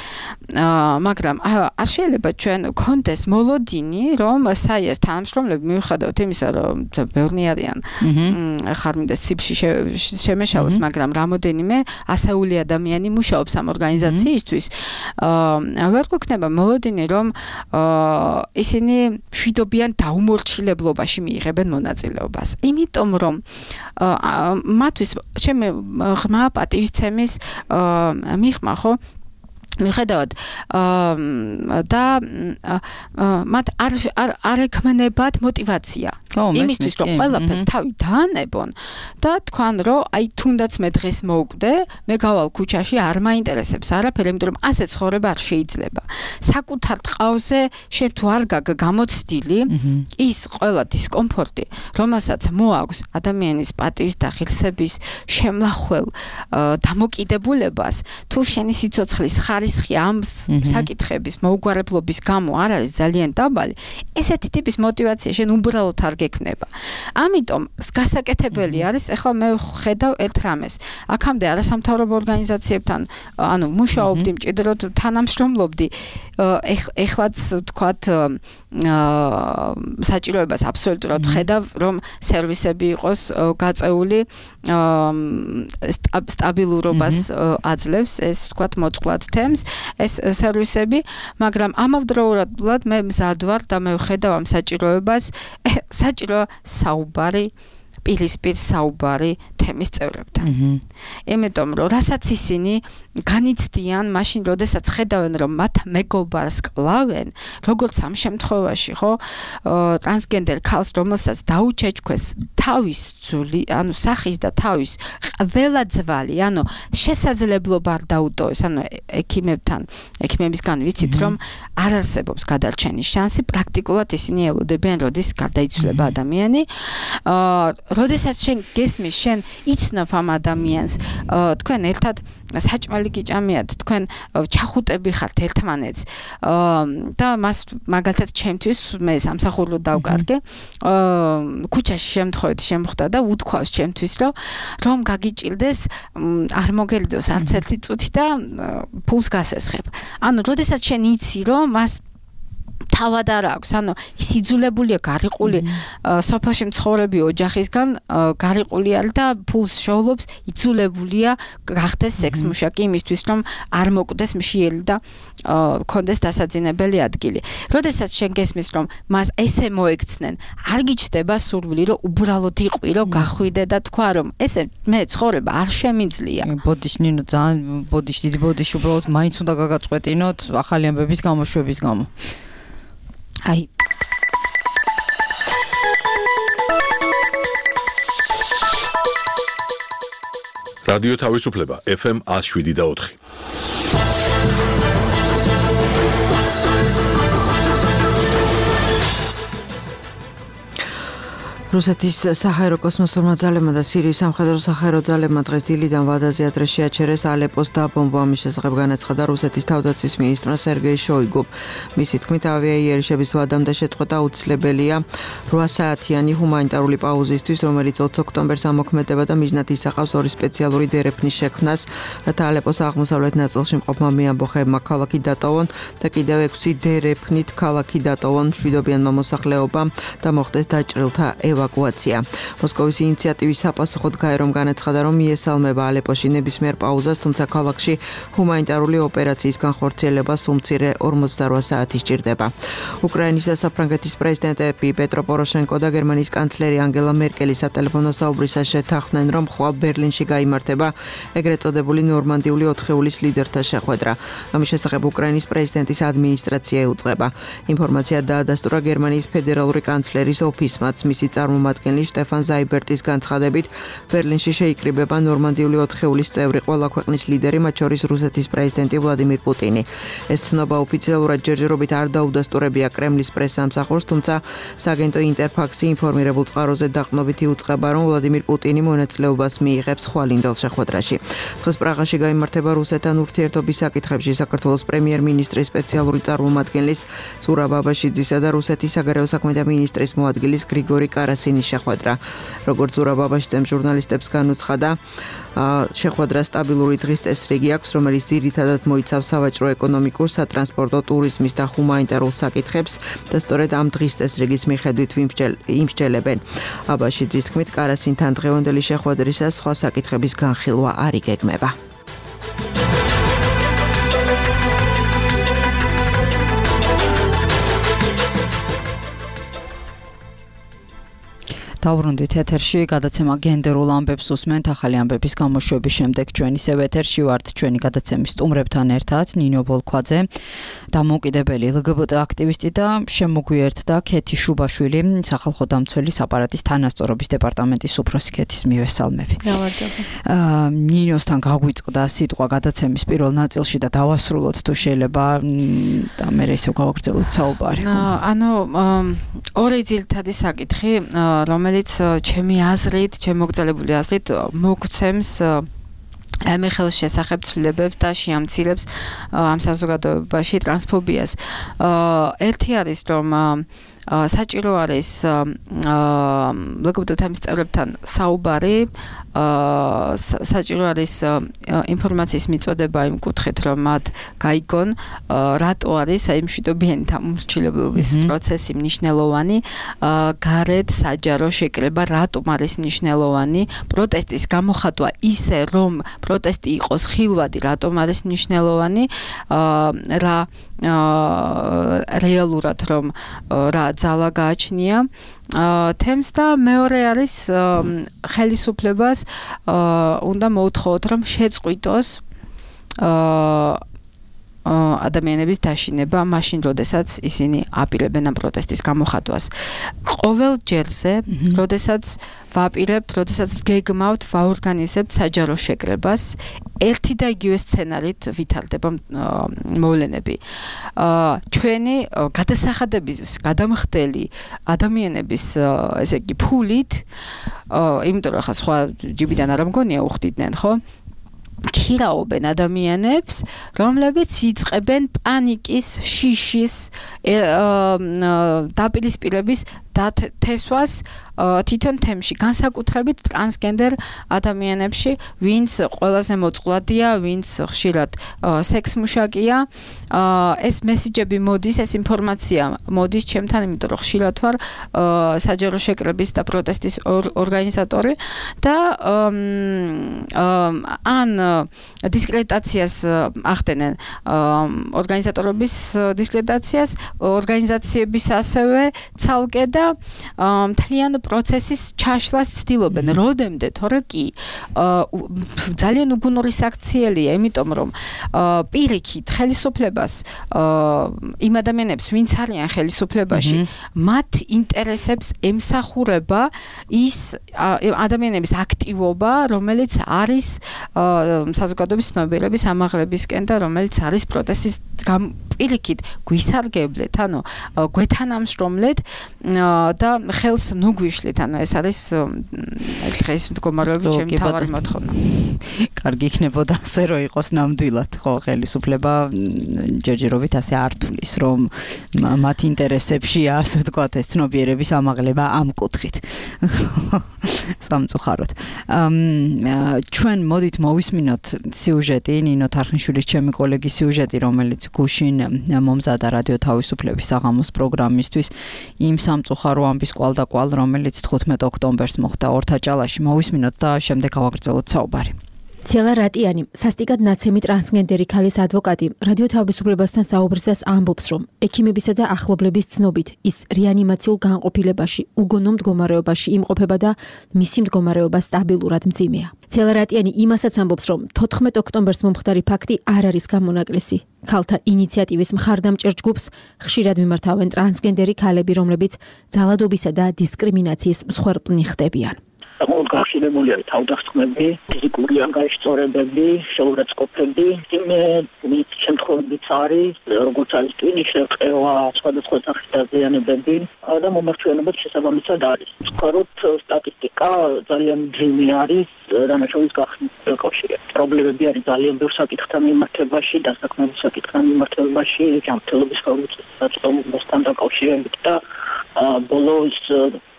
მაგრამ არ შეიძლება ჩვენ კონდეს მოლოდინი რომ საიას თანამშრომლები მიუხედავად იმისა რომ ბევრი არიან ხარმინდეს ციფში შემეშალოს მაგრამ რამოდენიმე ასეული ადამიანი მუშაობს ამ ორგანიზაციისთვის ვერ გვექნება მოლოდინი რომ ისინი მშვიდობიან დაუმორჩილებლობაში მიიღებენ მონაწილეობას იმიტომ რომ მათთვის ჩემი ღრმა პატივისცემის მიღმა ხო მიხედავთ და მათ არ არ ეკმნებათ мотиваცია იმისთვის რომ ყველაფერს თავი დაანებონ და თქვან რომ აი თუნდაც მე დღეს მოვკვდე მე გავალ ქუჩაში არ მაინტერესებს არაფერი იმიტომ რომ ასე ცხოვრება არ შეიძლება საკუთარ ტყავზე შენ თუ არ გაგ გამოცდილი ის ყველა დისკომფორტი რომელსაც მოაქვს ადამიანის პატივის და ღირსების შემლახველ დამოკიდებულებას თუ შენი სიცოცხლის ხარისხი ამ საკითხების მოუგვარებლობის გამო არ არის ძალიან დაბალი ესეთი ტიპის мотиваცია შენ უბრალოდ არ გექნება ამიტომ გასაკეთებელი არის ახლა მე ხედავ ერთ რამეს აქამდე არასამთავრობო ორგანიზაციებთან ანუ მუშაობდი მჭიდროდ თანამშრომლობდი ეხლაც ვთქვათ საჭიროებას აბსოლუტურად ხედავ რომ სერვისები იყოს გაწეული სტაბილურობას აძლევს ეს ვთქვათ მოწყვლად თემს ეს სერვისები მაგრამ ამავდროულად მე მზად ვარ და მე ვხედავ ამ საჭიროებას საჭირო საუბარი პირისპირ საუბარი თემის წევრებთან. იმიტომ რომ რასაც ისინი განიცდიან, მაშინ როდესაც ხედავენ რომ მათ მეგობარს კლავენ, როგორც ამ შემთხვევაში, ხო, ტრანსგენდერ ქალს, რომელსაც დაუჩეჩქვეს თავის ძული, ანუ სახის და თავის ყველა ძვალი, ანუ შესაძლებლობა არ დაუტოვეს, ანუ ექიმებთან, ექიმებისგან ვიცით რომ არ არსებობს გადარჩენის შანსი, პრაქტიკულად ისინი ელოდებიან, როდის გარდაიცვლება ადამიანი. როდესაც შენ გესმის, შენ იცნობ ამ ადამიანს, თქვენ ერთად საჭმელი გიჭამიათ, თქვენ ჩახუტები ხართ ერთმანეთს და მას მაგალითად ჩემთვის მე სამსახურო დავკარგე, ქუჩაში შემთხვევით შემხვდა და უთქვავს ჩემთვის, რომ რომ გაგიჭირდეს, არ მოგელიდოს არც ერთი წუთი და ფულს გასესხებ. ანუ როდესაც შენ იცი, რომ მას თავად არ აქვს, ანუ ის იძულებულია გარიყული სოფელში მცხოვრები ოჯახისგან გარიყული არის და ფულს შოულობს, იძულებულია გახდეს სექსმუშაკი იმისთვის, რომ არ მოკვდეს მშიელი და კონდეს დასაძინებელი ადგილი. როდესაც შენ გესმის, რომ მას ესე მოექცნენ, არ გიჩნდება სურვილი, რომ უბრალოდ იყვირო, გახვიდე და თქვა, რომ ესე მე ცხოვრება არ შემიძლია. ბოდიში ნინო, ძალიან ბოდიში, დიდი ბოდიში უბრალოდ მაინც უნდა გაგაწყვეტინოთ ახალი ამბების გამოშვების გამო. აი რადიო თავისუფლება ეფ ემ one oh seven და four. რუსეთის საჰაერო კოსმოსურმა ძალებმა და სირიის სამხედრო საჰაერო ძალებმა დღეს დილიდან ვადაზე ადრე შეაჩერეს ალეპოს დაბომბვა. ამის შესახებ განაცხადა რუსეთის თავდაცვის მინისტრმა სერგეი შოიგუმ. მისი თქმით, ავიაიერიშების ვადამ და შეწყვეტა უცლებელია რვა საათიანი ჰუმანიტარული პაუზისთვის, რომელიც ოცი ოქტომბერს ამოქმედება და მიზნად ისახავს ორი სპეციალური დერეფნის შექმნას, რათა ალეპოს აღმოსავლეთ ნაწილში მყოფმა მეამბოხეებმა ქალაქი დატოვონ და კიდევ ექვსი დერეფნით ქალაქი დატოვონ მშვიდობიანმა მოსახლეობამ და მოხდეს დაჭრილთა ევაკუაცია. მოსკოვის ინიციატივის საპასუხოდ გაერომ განაცხადა, რომ მიესალმება ალეპოში ნებისმიერ პაუზას, თუმცა ქალაქში ჰუმანიტარული ოპერაციის განხორციელება სულ მცირე ორმოცდარვა საათი სჭირდება. უკრაინის და საფრანგეთის პრეზიდენტები პეტრო პოროშენკო და გერმანიის კანცლერი ანგელა მერკელი სატელეფონო საუბრისას შეთანხმდნენ, რომ ხვალ ბერლინში გაიმართება ეგრეთ წოდებული ნორმანდიული ოთხეულის ლიდერთა შეხვედრა. ამის შესახებ უკრაინის პრეზიდენტის ადმინისტრაცია ეუწყება. ინფორმაცია დაადასტურა გერმანიის ფედერალური კანცლერის ოფისმაც. მისი წარმომადგენელი შტეფან ზაიბერტის განცხადებით, ბერლინში შეიკრიბება ნორმანდიული ოთხეულის წევრი ყველა ქვეყნის ლიდერი, მათ შორის რუსეთის პრეზიდენტი ვლადიმირ პუტინი. ეს ცნობა ოფიციალურად ჯერჯერობით არ დაუდასტურებია კრემლის პრესსამსახურს, თუმცა სააგენტო ინტერფაქსი ინფორმირებულ წყაროზე დაყრდნობით იუწყება, რომ ვლადიმირ პუტინი მონაწილეობას მიიღებს ხვალინდელ შეხვედრაში. დღეს პრაღაში გაიმართება რუსეთთან ურთიერთობის საკითხებში საქართველოს პრემიერ-მინისტრის სპეციალური წარმომადგენლის ზურაბ აბაშიძისა და რუსეთის საგარეო საქმეთა მინისტრის მოადგილის გრიგორი კარასინის შეხვედრა. როგორც ზურაბ აბაშიძემ ჟურნალისტებს განუცხადა, შეხვედრა სტაბილური დღის წესრიგი აქვს, რომელიც ძირითადად მოიცავს სავაჭრო, ეკონომიკურ, სატრანსპორტო, ტურიზმის და ჰუმანიტარულ საკითხებს და სწორედ ამ დღის წესრიგის მიხედვით იმსჯელებენ. აბაშიძის თქმით, კარასინთან დღევანდელი შეხვედრისას სხვა საკითხების განხილვა არ იგეგმება. დავბრუნდით ეთერში, გადაცემა გენდერულ ამბებს უსმენთ. ახალი ამბების გამოშვების შემდეგ ჩვენ ისევ ეთერში ვართ ჩვენი გადაცემის სტუმრებთან ერთად, ნინო ბოლქვაძე, დამოუკიდებელი ელ გი ბი ტი აქტივისტი და შემოგვიერთდა ქეთი შუბაშვილი, სახალხო დამცველის აპარატის თანასწორობის დეპარტამენტის უფროსი. ქეთის მივესალმები. დავარჯობა. ნინოსთან გაგვიწყდა სიტყვა გადაცემის პირველ ნაწილში და დავასრულოთ თუ შეიძლება და მე ისევ გავაგრძელოთ საუბარი. ანუ ორი ძირითადი საკითხი, რომელიც ჩემი აზრით, ჩემი მოგწალებული აზრით მოგცემს ამ ხელს შესახებ ცვლილებებს და შეამცირებს ამ საზოგადოებაში ტრანსფობიას. ერთი არის, რომ საჭირო არის ელ გი ბი ტი თემის წევრებთან საუბარი, საჭირო არის ინფორმაციის მიწოდება იმ კუთხით, რომ მათ გაიგონ რატო არის აი მშვიდობიანი დამორჩილებლობის პროცესი მნიშვნელოვანი, გარეთ საჯარო შეკრება რატომ არის მნიშვნელოვანი, პროტესტის გამოხატვა ისე, რომ პროტესტი იყოს ხილვადი, რატომ არის მნიშვნელოვანი, რა რეალურად რომ რა ძალა გააჩნია თემს და მეორე არის ხელისუფლებას უნდა მოუთხოვოთ რომ შეწყვიტოს ადამიანების დაშინება მაშინ როდესაც ისინი აპირებენ ამ პროტესტის გამოხატვას. ყოველ ჯერზე, როდესაც ვაპირებთ, როდესაც გეგმავთ, ვაორგანიზებთ საჯარო შეკრებას, ერთი და იგივე სცენარით ვითარდება მოვლენები. ჩვენი გადასახადების გადამხდელი ადამიანების ესე იგი ფულით, იმიტომ რომ ხა სხვა ჯიბიდან არ მგონია უხდიდნენ, ხო? ქირაობენ ადამიანებს, რომლებიც იწყებენ პანიკის, შიშის, დაპირისპირების დათესვას თვითონ თემში, განსაკუთრებით ტრანსგენდერ ადამიანებში, ვინც ყველაზე მოწყვლადია, ვინც ხშირად სექსმუშაკია. ეს მესიჯები მოდის, ეს ინფორმაცია მოდის ჩემთან, იმიტომ რომ ხშირად ვარ საჯარო შეკრების და პროტესტის ორგანიზატორი და ან დისკრედიტაციას ახდენენ ორგანიზატორების დისკრედიტაციას, ორგანიზაციების ასევე ცალკე და მთლიან პროცესის ჩაშლას ცდილობენ. როდემდე თორე კი ძალიან უგუნური საქციელია, იმიტომ რომ პირიქით ხელისუფლებას იმ ადამიანებს, ვინც არიან ხელისუფლებაში, მათ ინტერესებს ემსახურება ის ადამიანების აქტივობა, რომელიც არის საზოგადოების ცნობიერების ამაღლებისკენ და რომელიც არის პროტესტის პირიქით გვისარგებლეთ, ანუ გვეთანამშრომლეთ და ხელს ნუგვიშლით, ანუ ეს არის დღეს მდგომარეობის ჩემი თავარი მოთხოვნა. კარგი იქნებოდა ასე რომ იყოს ნამდვილად, ხო, ხელისუფლება ჯერჯერობით ასე არ თulis, რომ მათ ინტერესებშია, ასე ვთქვათ, ეს ცნობიერების ამაღლება ამ კუთხით. სამწუხაროდ. ჩვენ მოდით მოვისმინოთ სიუჟეტი, ნინო თარხნიშვილის ჩემი კოლეგის სიუჟეტი, რომელიც გუშინ მომზადა რადიო თავისუფლების საღამოს პროგრამისთვის იმ სამწუხარო ამბის კვალდაკვალ, რომელიც თხუთმეტ ოქტომბერს მოხდა ორთაჭალაში. მოვისმინოთ და შემდეგ გავაგრძელოთ საუბარი. ცელა რატიანი, სასტიკად ნაცემი ტრანსგენდერი ქალის ადვოკატი, რადიო თავისუფლებასთან საუბრისას ამბობს, რომ ექიმებისა და ახლობლების ცნობით ის რეანიმაციულ განყოფილებაში, უგონო მდგომარეობაში იმყოფება და მისი მდგომარეობა სტაბილურად მძიმეა. ცელა რატიანი იმასაც ამბობს, რომ თოთხმეტ ოქტომბერს მომხდარი ფაქტი არ არის გამონაკლისი. ქალთა ინიციატივის მხარდამჭერ ჯგუფს ხშირად მიმართავენ ტრანსგენდერი ქალები, რომლებიც ძალადობისა და დისკრიმინაციის მსხვერპლნი ხდებიან. საკმაოდ გახშირებულია თავდასხმები, ფიზიკური ანგარიშწორებები, შეურაცხყოფები, იმ შემთხვევებიც არის, როგორც არის ტვინის შევყევა, სხვადასხვა სახის დაზიანებები და მომართვიანობაც შესაბამისად არის. ვთქვათ, სტატისტიკა ძალიან მძიმე არის დანაშაულის გახსნის კავშირით. პრობლემები არის ძალიან ბევრ საკითხთან მიმართებაში, დასაქმების საკითხთან მიმართებაში, ჯანმრთელობის ხელმისაწვდომობასთან დაკავშირებით და ბოლოს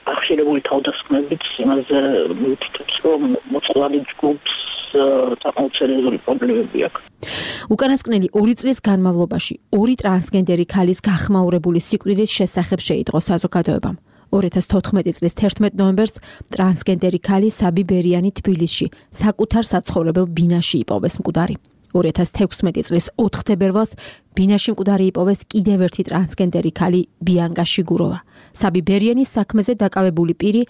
ახშირებული თავდასხმებით იმაზე მივთითებს, რომ მოწყვლადი ჯგუფს საკმაოდ სერიოზული პრობლემები აქვს. უკანასკნელი ორი წლის განმავლობაში ორი ტრანსგენდერი ქალის გახმაურებული სიკვდილის შესახებ შეიტყო საზოგადოებამ. ორი ათას თოთხმეტი წლის თერთმეტ ნოემბერს ტრანსგენდერი ქალი საბი ბერიანი თბილისში საკუთარ საცხოვრებელ ბინაში იპოვეს მკვდარი. ორი ათას თექვსმეტი წლის ოთხ თებერვალს ბინაში მკვდარი იპოვეს კიდევ ერთი ტრანსგენდერი ქალი ბიანკა შიგუროვა. საბი ბერიანის საქმეზე დაკავებული პირი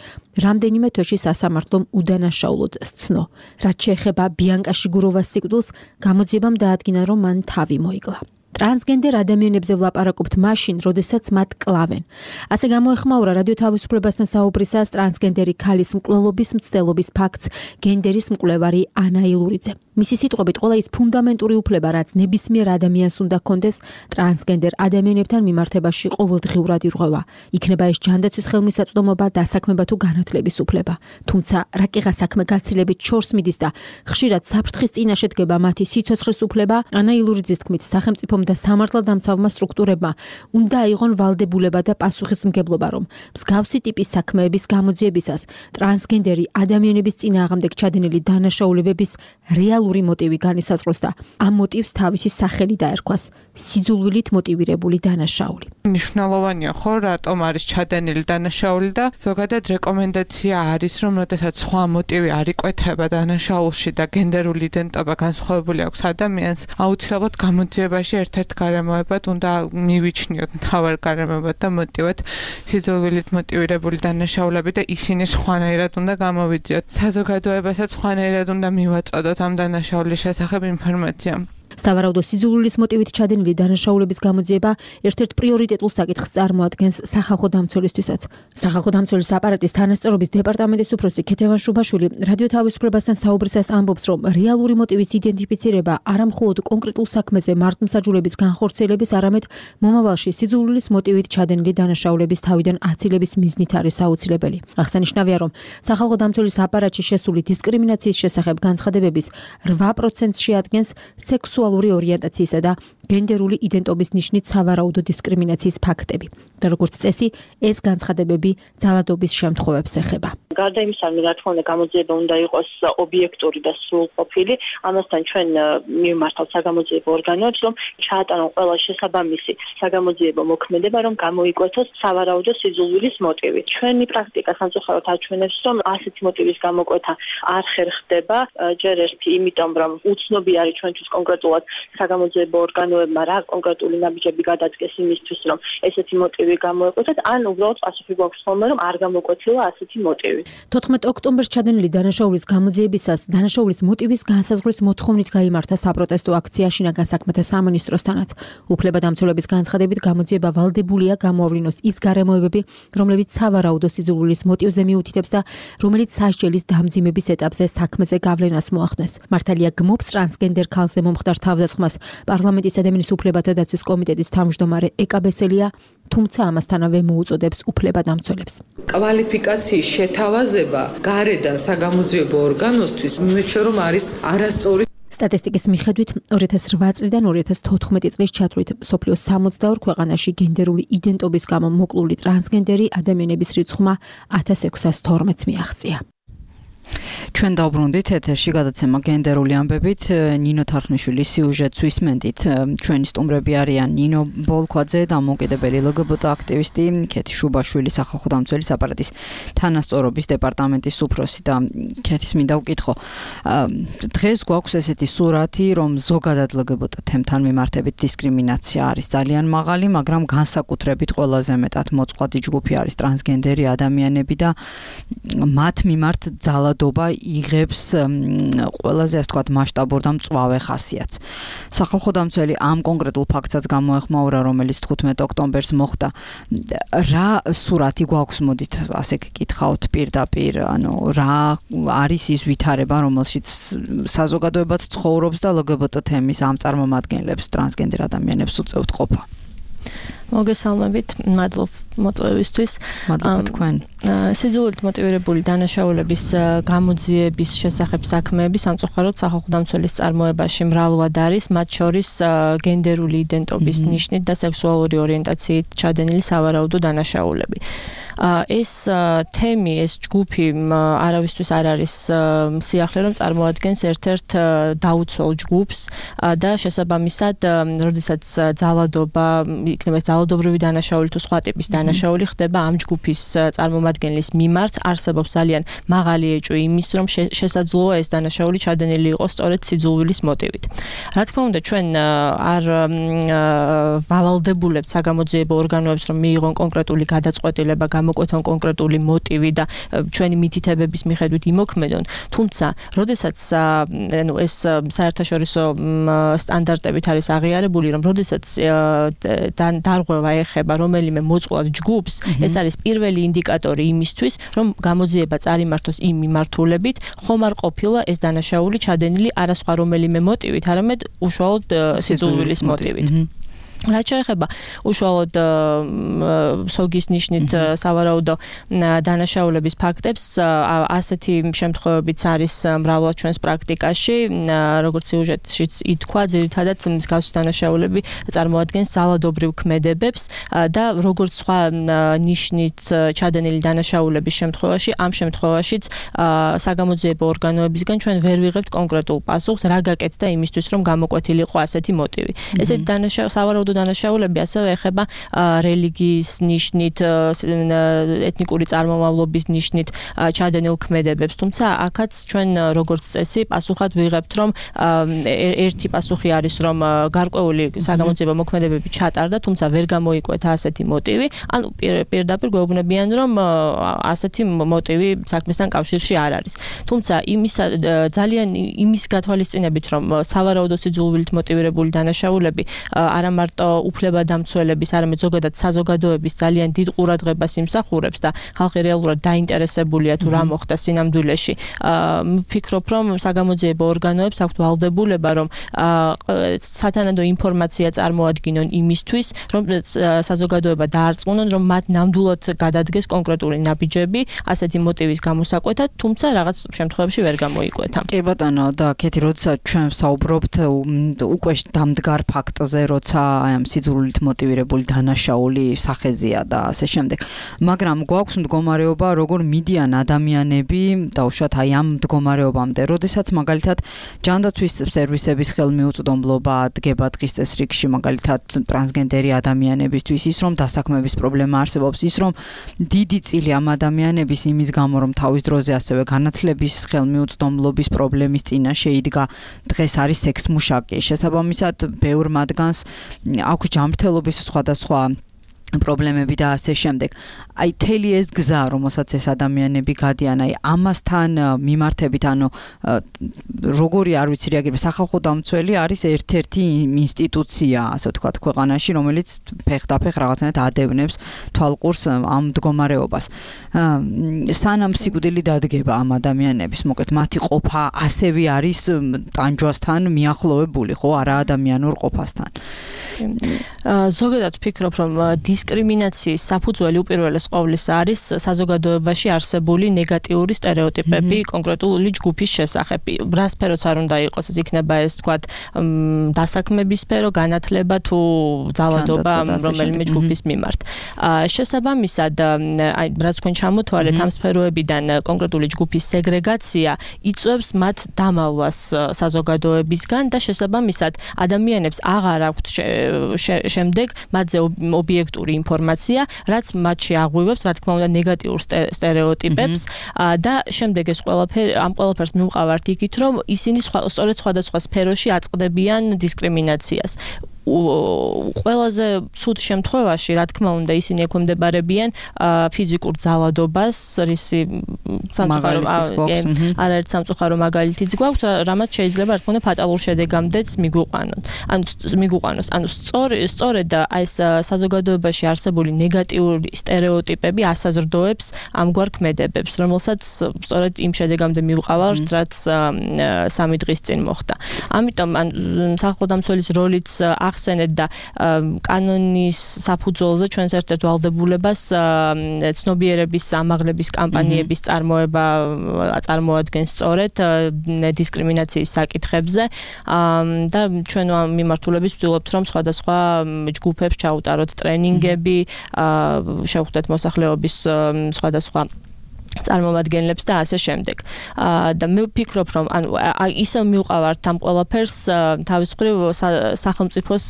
რამდენიმე თვეში სასამართლომ უდანაშაულოდ სცნო. რაც შეეხება ბიანკა შიგუროვას სიკვდილს, გამოძიებამ დაადგინა, რომ მან თავი მოიკლა. ტრანსგენდერ ადამიანებზე ვლაპარაკობთ მაშინ, როდესაც მათ კლავენ. ასე გამოეხმაურა რადიო თავისუფლებასთან საუბრისას ტრანსგენდერი ქალის მკვლელობის მცდელობის ფაქტს გენდერის მკვლევარი ანა ილურიძე. მისი სიტყვებით, ყველა ის ფუნდამენტური უფლება, რაც ნებისმიერ ადამიანს უნდა ჰქონდეს, ტრანსგენდერ ადამიანებთან მიმართებაში ყოველდღიურად ირღვევა. იქნება ეს ჯანდაცვის ხელმისაწვდომობა, დასაქმება თუ განათლების უფლება. თუმცა რაკიღა საქმე გაცილებით შორს მიდის და ხშირად საფრთხის წინაშე დგება მათი სიცოცხლის უფლება, ანა ილურიძის თქმით, სახელმწიფომ და სამართალდამცავმა სტრუქტურებმა უნდა აიღონ ვალდებულება და პასუხისმგებლობა, რომ მსგავსი ტიპის საქმეების გამოძიებისას ტრანსგენდერი ადამიანების წინააღმდეგ ჩადენილი დანაშაულებების რეალური მოტივი განისაზღვროს და ამ მოტივს თავისი სახელი დაერქვას სიძულვილით მოტივირებული დანაშაული. მნიშვნელოვანია ხო, რატომ არის ჩადენილი დანაშაული და ზოგადად რეკომენდაცია არის, რომ როდესაც სხვა მოტივი არ იკვეთება დანაშაულში და გენდერული იდენტობა განსხვავებული აქვს ადამიანს, აუცილებლად გამოძიებაში ერთ ერთ-ერთ გარემოებად უნდა მივიჩნიოთ მთავარ გარემოებად და მოტივად სიძულვილით მოტივირებული დანაშაულები და ისინი სხვანაირად უნდა გამოვიძიოთ. საზოგადოებასაც სხვანაირად უნდა მივაწოდოთ ამ დანაშაულის შესახებ ინფორმაცია. სავარაუდო სიძულვილის მოტივით ჩადენილი დანაშაულების გამოძიება ერთ-ერთ პრიორიტეტულ საკითხს წარმოადგენს სახალხო დამცველისთვისაც. სახალხო დამცველის აპარატის თანასწორობის დეპარტამენტის უფროსი ქეთევან შუბაშვილი რადიო თავისუფლებასთან საუბრისას ამბობს, რომ რეალური მოტივის იდენტიფიცირება არა მხოლოდ კონკრეტულ საქმეზე მართლმსაჯულების განხორციელების, არამედ მომავალში სიძულვილის მოტივით ჩადენილი დანაშაულების თავიდან აცილების მიზნით არის აუცილებელი. აღსანიშნავია, რომ სახალხო დამცველის აპარატში შესული დისკრიმინაციის შესახებ განცხადებების რვა პროცენტს შეადგენს სექსუალური ორიენტაციისა და გენდერული იდენტობის ნიშნით სავარაუდო დისკრიმინაციის ფაქტები. და როგორც წესი, ეს განცხადებები ძალადობის შემთხვევებს ეხება. გარდა იმისა, რა თქმა უნდა, გამოძიება უნდა იყოს ობიექტური და სრულყოფილი. ამასთან ჩვენ მივმართავთ საგამოძიებო ორგანოებს, რომ ჩაატარონ ყველა შესაბამისი საგამოძიებო მოქმედება, რომ გამოიკვეთოს სავარაუდო სიძულვილის მოტივი. ჩვენი პრაქტიკა სამწუხაროდ აჩვენებს, რომ ასეთი მოტივის გამოკვეთა არ ხერხდება, ჯერ ერთი იმიტომ, რომ უცნობი არის ჩვენთვის კონკრეტულად საგამოძიებო ორგანოებმა რა კონკრეტული ნაბიჯები გადადგეს იმისთვის, რომ ესეთი მოტივი გამოეკვეთათ, ან უბრალოდ პასუხი გვაქვს ხოლმე, რომ არ გამოკვეთილა ასეთი მოტივი. თოთხმეტ ოქტომბერს ჩადენილი დანაშაულის გამოძიებისას დანაშაულის მოტივის განსაზღვრის მოთხოვნით გაიმართა საპროტესტო აქცია შინაგან საქმეთა სამინისტროსთანაც. უფლებადამცველების განცხადებით გამოძიება ვალდებულია გამოავლინოს ის გარემოებები, რომლებიც სავარაუდო სიძულვილის მოტივზე მიუთითებს და რომელიც სასჯელის დამძიმების ეტაპზე საქმეზე გავლენას მოახდენს. მართალია გმობს ტრანსგენდერ ქალზე მომხდარ თავდასხმას პარლამენტის ადამიანის უფლებათა დაცვის კომიტეტის თავმჯდომარე ეკა ბესელია, თუმცა ამასთანავე მოუწოდებს უფლებადამცველებს. კვალიფიკაციის შეთავაზება გარედან საგამოძიებო ორგანოსთვის მიმეჩნია, რომ არის არასწორი. სტატისტიკის მიხედვით ორი ათას რვა წლიდან ორი ათას თოთხმეტი წლის ჩათვლით სოფლიოს სამოცდაორ ქვეყანაში გენდერული იდენტობის გამო მოკლული ტრანსგენდერი ადამიანების რიცხვმა ათას ექვსას თორმეტს მიაღწია. ჩვენ დავბრუნდით ეთერში გადაცემა გენდერული ამბებით ნინო თარხნიშვილის სიუჟეტს ვისმენდით. ჩვენი სტუმრები არიან ნინო ბოლქვაძე, დამოუკიდებელი ლგბტ აქტივისტი, ქეთი შუბაშვილი, სახალხო დამცველის აპარატის თანასწორობის დეპარტამენტის უფროსი და ქეთის მინდა ვკითხო. დღეს გვაქვს ესეთი სურათი, რომ ზოგადად ლგბტ თემთან მიმართებით დისკრიმინაცია არის ძალიან მაღალი, მაგრამ განსაკუთრებით ყველაზე მეტად მოწყვლადი ჯგუფი არის ტრანსგენდერი ადამიანები და მათ მიმართ ძალადობა იღებს ყველაზე ასე ვთქვათ მასშტაბურ და მწვავე ხასიათს. სახალხო დამცველი ამ კონკრეტულ ფაქტსაც გამოეხმაურა, რომელიც თხუთმეტ ოქტომბერს მოხდა. რა სურათი გვაქვს, მოდით ასე გკითხავთ პირდაპირ, ანუ რა არის ის ვითარება, რომელშიც საზოგადოებაც ცხოვრობს და ლგბტ თემის ამ წარმომადგენლებს, ტრანსგენდერ ადამიანებს უწევთ ყოფა. მოგესალმებით, მადლობ მოწვევისთვის. მადლობა თქვენ. სიძულვილით მოტივირებული დანაშაულების გამოძიების შესახებ საქმეები სამწუხაროდ სახალხო დამცველის წარმოებაში მრავლად არის, მათ შორის გენდერული იდენტობის ნიშნით და სექსუალური ორიენტაციით ჩადენილი სავარაუდო დანაშაულები. ეს თემი, ეს ჯგუფი არავისთვის არ არის სიახლე, რომ წარმოადგენს ერთ-ერთ დაუცველ ჯგუფს და შესაბამისად, როდესაც ძალადობა, იქნება ძალადობრივი დანაშაული თუ სხვა ტიპის დანაშაული ხდება ამ ჯგუფის წარმომადგენლის მიმართ, არსებობს ძალიან მაღალი ეჭვი იმის, რომ შესაძლოა ეს დანაშაული ჩადენილი იყოს სწორედ სიძულვილის მოტივით. რა თქმა უნდა, ჩვენ არ ვალდებულებთ საგამოძიებო ორგანოებს, რომ მიიღონ კონკრეტული გადაწყვეტილება, გამოკვეთონ კონკრეტული მოტივი და ჩვენი მითითებების მიხედვით იმოქმედონ, თუმცა, როდესაც ანუ ეს საერთაშორისო სტანდარტებით არის აღიარებული, რომ როდესაც დარღვევა ეხება რომელიმე მოწყვლად ჯგუფს, ეს არის პირველი ინდიკატორი იმისთვის, რომ გამოძიება წარიმართოს იმ მიმართულებით, ხომ არ ყოფილა ეს დანაშაული ჩადენილი არა სხვა რომელიმე მოტივით, არამედ უშუალოდ სიძულვილის მოტივით. რაც შეეხება უშუალოდ სოგის ნიშნით სავარაუდო დანაშაულების ფაქტებს, ასეთი შემთხვევებიც არის მრავლად ჩვენს პრაქტიკაში, როგორც სიუჟეტშიც ითქვა, ძირითადად მსგავსი დანაშაულები წარმოადგენს ძალადობრივ ქმედებებს და როგორც სხვა ნიშნით ჩადენილი დანაშაულების შემთხვევაში, ამ შემთხვევაშიც საგამოძიებო ორგანოებისგან ჩვენ ვერ ვიღებთ კონკრეტულ პასუხს, რა გაკეთდა იმისთვის, რომ გამოკვეთილიყო ასეთი მოტივი. ესეთი დანაშაული სავარაუდო დანაშაულები ასევე ეხება რელიგიის ნიშნით, ეთნიკური წარმომავლობის ნიშნით ჩადენილ ქმედებებს. თუმცა აქაც ჩვენ როგორც წესი პასუხად ვიღებთ, რომ ერთი პასუხი არის, რომ გარკვეული საგამოძიებო მოქმედებები ჩატარდა, თუმცა ვერ გამოიკვეთა ასეთი მოტივი, ანუ პირდაპირ გვეუბნებიან, რომ ასეთი მოტივი საქმესთან კავშირში არ არის. თუმცა იმის ძალიან იმის გათვალისწინებით, რომ სავარაუდო სიძულვილით მოტივირებული დანაშაულები არა მარტო უფლებადამცველების, არამედ ზოგადად საზოგადოების ძალიან დიდ ყურადღებას იმსახურებს და ხალხი რეალურად დაინტერესებულია თუ რა მოხდა სინამდვილეში. ვფიქრობ, რომ საგამოძიებო ორგანოებს აქვთ ვალდებულება, რომ სათანადო ინფორმაცია წარმოადგინონ იმისთვის, რომ საზოგადოება დაარწმუნონ, რომ მათ ნამდვილად გადადგეს კონკრეტული ნაბიჯები ასეთი მოტივის გამოსაკვეთად, თუმცა რაღაც შემთხვევებში ვერ გამოიკვეთა. კი ბატონო, და კეთი, როდესაც ჩვენ ვსაუბრობთ უკვე დამდგარ ფაქტზე, როცა აი ამ სიძულვილით მოტივირებული დანაშაული სახეზეა და ასე შემდეგ. მაგრამ გვაქვს მდგომარეობა, როგორ მიდიან ადამიანები დაუშვათ აი ამ მდგომარეობამდე, როდესაც მაგალითად ჯანდაცვის სერვისების ხელმიუწვდომლობა დგება დღის წესრიგში, მაგალითად ტრანსგენდერი ადამიანებისთვის, ის რომ დასაქმების პრობლემა არსებობს, ის რომ დიდი წილი ამ ადამიანების იმის გამო, რომ თავის დროზე ასევე განათლების ხელმიუწვდომლობის პრობლემის წინაშე იდგა, დღეს არის სექსმუშაკი. შესაბამისად, ბევრ მათგანს აქვს ჯანმრთელობის სხვადასხვა პრობლემები და ასე შემდეგ. აი თელი ეს გზა, რომელსაც ეს ადამიანები გადიან, აი ამასთან მიმართებით, ანუ როგორი არ ვიცი რეაგირება, სახალხო დამცველი არის ერთ-ერთი ინსტიტუცია, ასე ვთქვათ, ქვეყანაში, რომელიც ფეხდაფეხ რაღაცნაირად ადევნებს თვალყურს ამ მდგომარეობას. სანამ სიკვდილი დადგება ამ ადამიანების, მოკეთ მათი ყოფა ასევე არის ტანჯვასთან მიახლოვებული, ხო, არა ადამიანურ ყოფასთან. ზოგადად ვფიქრობ, რომ დისკრიმინაციის საფუძველი უპირველეს ყოვლისა არის საზოგადოებაში არსებული ნეგატიური სტერეოტიპები კონკრეტული ჯგუფის შესახებ. რა სფეროც არ უნდა იყოს, ეს იქნება ეს თქვათ დასაქმების სფერო, განათლება თუ ძალადობა რომელიმე ჯგუფის მიმართ. შესაბამისად, აი რაც თქვენ ჩამოთვალეთ ამ სფეროებიდან კონკრეტული ჯგუფის სეგრეგაცია იწვევს მათ დამალვას საზოგადოებისგან და შესაბამისად ადამიანებს აღარ აქვთ შემდეგ მათზე ობიექტური ინფორმაცია, რაც მათში აღვივებს, რა თქმა უნდა, ნეგატიურ სტერეოტიპებს და შემდეგ ეს ყველაფერი ამ ყველაფერს მივყავართ იქით, რომ ისინი სწორედ სხვადასხვა სფეროში აწყდებიან დისკრიმინაციას. ყველაზე ცუდ შემთხვევაში, რა თქმა უნდა, ისინი ექვემდებარებიან ფიზიკურ ძალადობას, რისი სამწუხარო არაერთ სამწუხარო მაგალითიც გვაქვს, რამაც შეიძლება რა თქმა უნდა ფატალურ შედეგამდეც მიგვიყვანონ. ანუ მიგვიყვანოს. ანუ სწორედ ეს საზოგადოებაში არსებული ნეგატიური სტერეოტიპები ასაზრდოებს ამგვარ ქმედებებს, რომელსაც სწორედ იმ შედეგამდე მივყავართ, რაც სამი დღის წინ მოხდა. ამიტომ სახალხო დამცველის როლიც ახსენეთ და კანონის საფუძველზე ჩვენს ერთ-ერთ ვალდებულებას ცნობიერების ამაღლების კამპანიების წარმოება წარმოადგენს სწორედ დისკრიმინაციის საკითხებზე და ჩვენ ამ მიმართულებით ვცდილობთ, რომ სხვადასხვა ჯგუფებს ჩაუტაროთ ტრენინგები, შევხვდეთ მოსახლეობის სხვადასხვა წარმომადგენლებს და ასე შემდეგ. და მე ვფიქრობ, რომ ანუ ისე მივყავართ ამ ყველაფერს თავის მხრივ სახელმწიფოს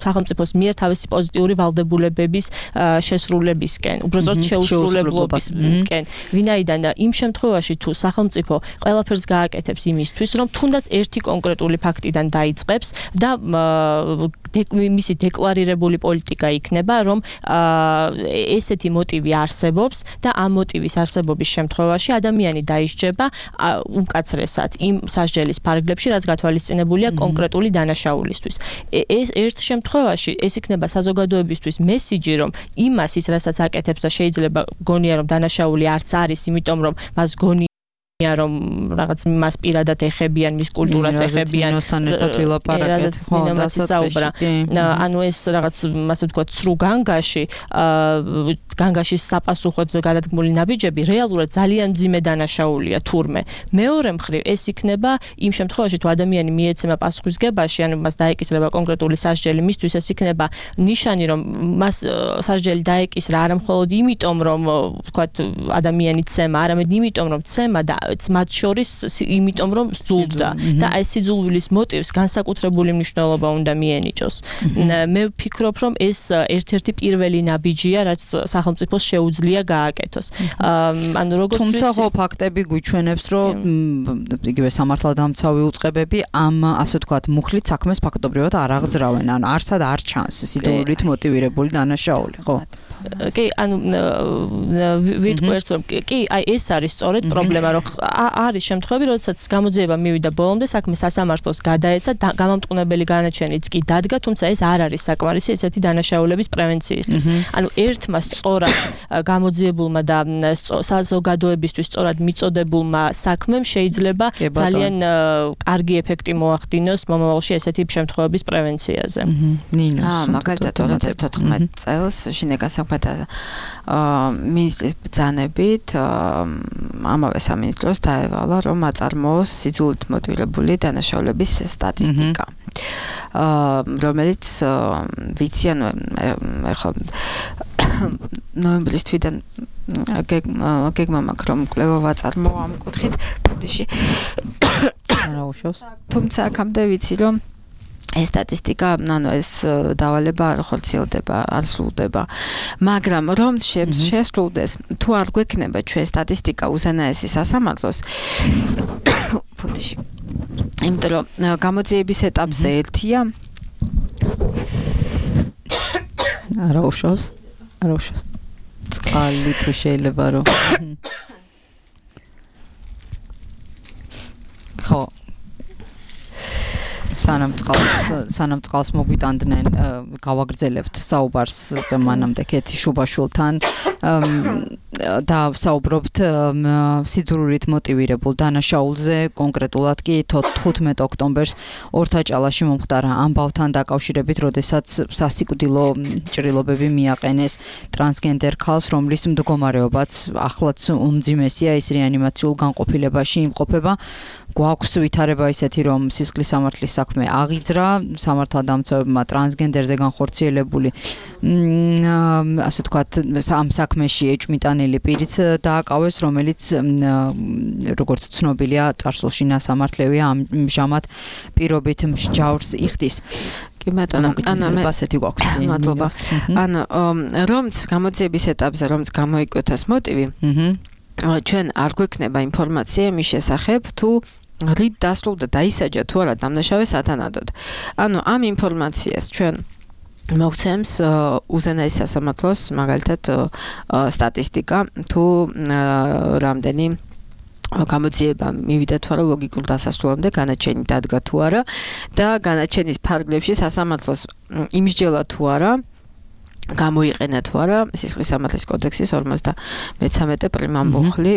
სახელმწიფოს მიერ თავისი პოზიტიური ვალდებულებების შესრულებისკენ, უბრალოდ შეუსრულებლობისკენ. ვინაიდან იმ შემთხვევაში თუ სახელმწიფო ყველაფერს გააკეთებს იმისთვის, რომ თუნდაც ერთი კონკრეტული ფაქტიდან დაიწყებს და მისი დეკლარირებული პოლიტიკა იქნება, რომ ესეთი მოტივი არსებობს და ამ მოტივის არსებობის შემთხვევაში ადამიანი დაისჯება უმკაცრესად იმ სასჯელის ფარგლებში, რაც გათვალისწინებულია კონკრეტული დანაშაულისთვის. ეს ერთ შემთხვევაში ეს იქნება საზოგადოებისთვის მესიჯი, რომ იმას ის რასაც აკეთებს და შეიძლება გონია, რომ დანაშაული არც არის, იმიტომ რომ მას გონია რომ რაღაც მას პირადად ეხებიან, მის კულტურას ეხებიან. ნინოსთან ერთად ვილაპარაკეთ, ხო, დაასაუბრა. ანუ ეს რაღაც, ასე ვთქვათ, სრუ განგაში განგაშის საპასუხოდ გადადგმული ნაბიჯები რეალურად ძალიან მძიმე დანაშაულია თურმე. მეორე მხრივ ეს იქნება იმ შემთხვევაში თუ ადამიანი მიეცემა პასუხისგებაში, ანუ მას დაეკისრება კონკრეტული სასჯელი, მისთვის ეს იქნება ნიშანი, რომ მას სასჯელი დაეკისრა არა მხოლოდ იმიტომ, რომ ვთქვათ ადამიანი ცემა, არამედ იმიტომ, რომ ცემა და მათ შორის იმიტომ, რომ ზულდა და აი სიძულვილის მოტივს განსაკუთრებული მნიშვნელობა უნდა მიენიჭოს. მე ვფიქრობ, რომ ეს ერთ-ერთი პირველი ნაბიჯია, რაც სახელმწიფოს შეუძლია გააკეთოს. ანუ როგორც თუმცა ხო ფაქტები გვიჩვენებს, რომ იგივე სამართალდამცავი უწყებები ამ ასე ვთქვათ მუხლით საქმეს ფაქტობრივად არ აღძრავენ, ანუ არსად არ ჩანს სიძულვილით მოტივირებული დანაშაული, ხო? კი, ანუ ვიტყვერთ, რომ კი, აი ეს არის სწორედ პრობლემა, რომ არის შემთხვევები, როდესაც გამოძიება მივიდა ბოლომდე, საქმე სასამართლოს გადაეცა, გამამტყუნებელი განაჩენიც კი დადგა, თუმცა ეს არ არის საკმარისი ესეთი დანაშაულების პრევენციისთვის. ანუ ერთმა სწორად გამოძიებულმა და საზოგადოებისთვის სწორად მიწოდებულმა საქმემ შეიძლება ძალიან კარგი ეფექტი მოახდინოს მომავალში ესეთი შემთხვევების პრევენციაზე. ნინო, მაგალითად ორი ათას თოთხმეტ წელს შინაგან საქმეთა მინისტრის ბრძანებით ამავე სამინისტროს დაევალა, რომ აწარმოოს სიძულით მოტივირებული დანაშაულების სტატისტიკა. რომელიც ვიცი, ანუ ეხლა ნოემბრის თვიდან გეგმა მაქვს, რომ კვლევა ვაწარმოო ამ კუთხით ბოდიში. არა უშავს. თუმცა აქამდე ვიცი, რომ ეს სტატისტიკა, ანუ ეს დავალება არ ხორციელდება, არ სრულდება. მაგრამ რომ შესრულდეს, თუ არ გვექნება ჩვენ სტატისტიკა უზენაესი სასამართლოს, ბოდიში. იმიტომ რომ გამოძიების ეტაპზე ერთია. არა უშავს. არა უშავს. წყალი თუ შეიძლება რომ ხო სანამ წყალს სანამ წყალს მოგვიტანდნენ გავაგრძელებთ საუბარს მანამდე კეთი შუბაშულთან და საუბრობთ სიძულვილით მოტივირებულ დანაშაულზე, კონკრეტულად კი თხუთმეტ ოქტომბერს ორთაჭალაში მომხდარა ამბავთან დაკავშირებით, როდესაც სასიკვდილო ჭრილობები მიაყენეს ტრანსგენდერ ქალს, რომლის მდგომარეობაც ახლაც უმძიმესია, ის რეანიმაციულ განყოფილებაში იმყოფება. გვაქვს ვითარება ისეთი, რომ სისხლის სამართლის საქმე აღიძრა, სამართალდამცავებმა ტრანსგენდერზე განხორციელებული ასე ვთქვათ ამ საქმეში ეჭვმიტანილი პირიც დააკავეს, რომელიც როგორც ცნობილია, წარსულში ნასამართლევია, ამჟამად პირობით მსჯავრს იხდის. კი ბატონო, ანუ მე ასეთი გვაქვს. მადლობა. ანუ რომც გამოძიების ეტაპზე რომც გამოიკვეთოს მოტივი, ჩვენ არ გვექნება ინფორმაცია იმის შესახებ, თუ რით დასრულდა დაისაჯა თუ არა დამნაშავე სათანადოდ. ანუ ამ ინფორმაციას ჩვენ მოგცემს უზენაესი სასამართლოს მაგალითად სტატისტიკა, თუ რამდენი გამოძიება მივიდა თუ არა ლოგიკურ დასასრულამდე, განაჩენი დადგა თუ არა და განაჩენის ფარგლებში სასამართლოს იმსჯელა თუ არა, გამოიყენა თუ არა სისხლის სამართლის კოდექსის ორმოცდამეცამეტე პრიმა მუხლი,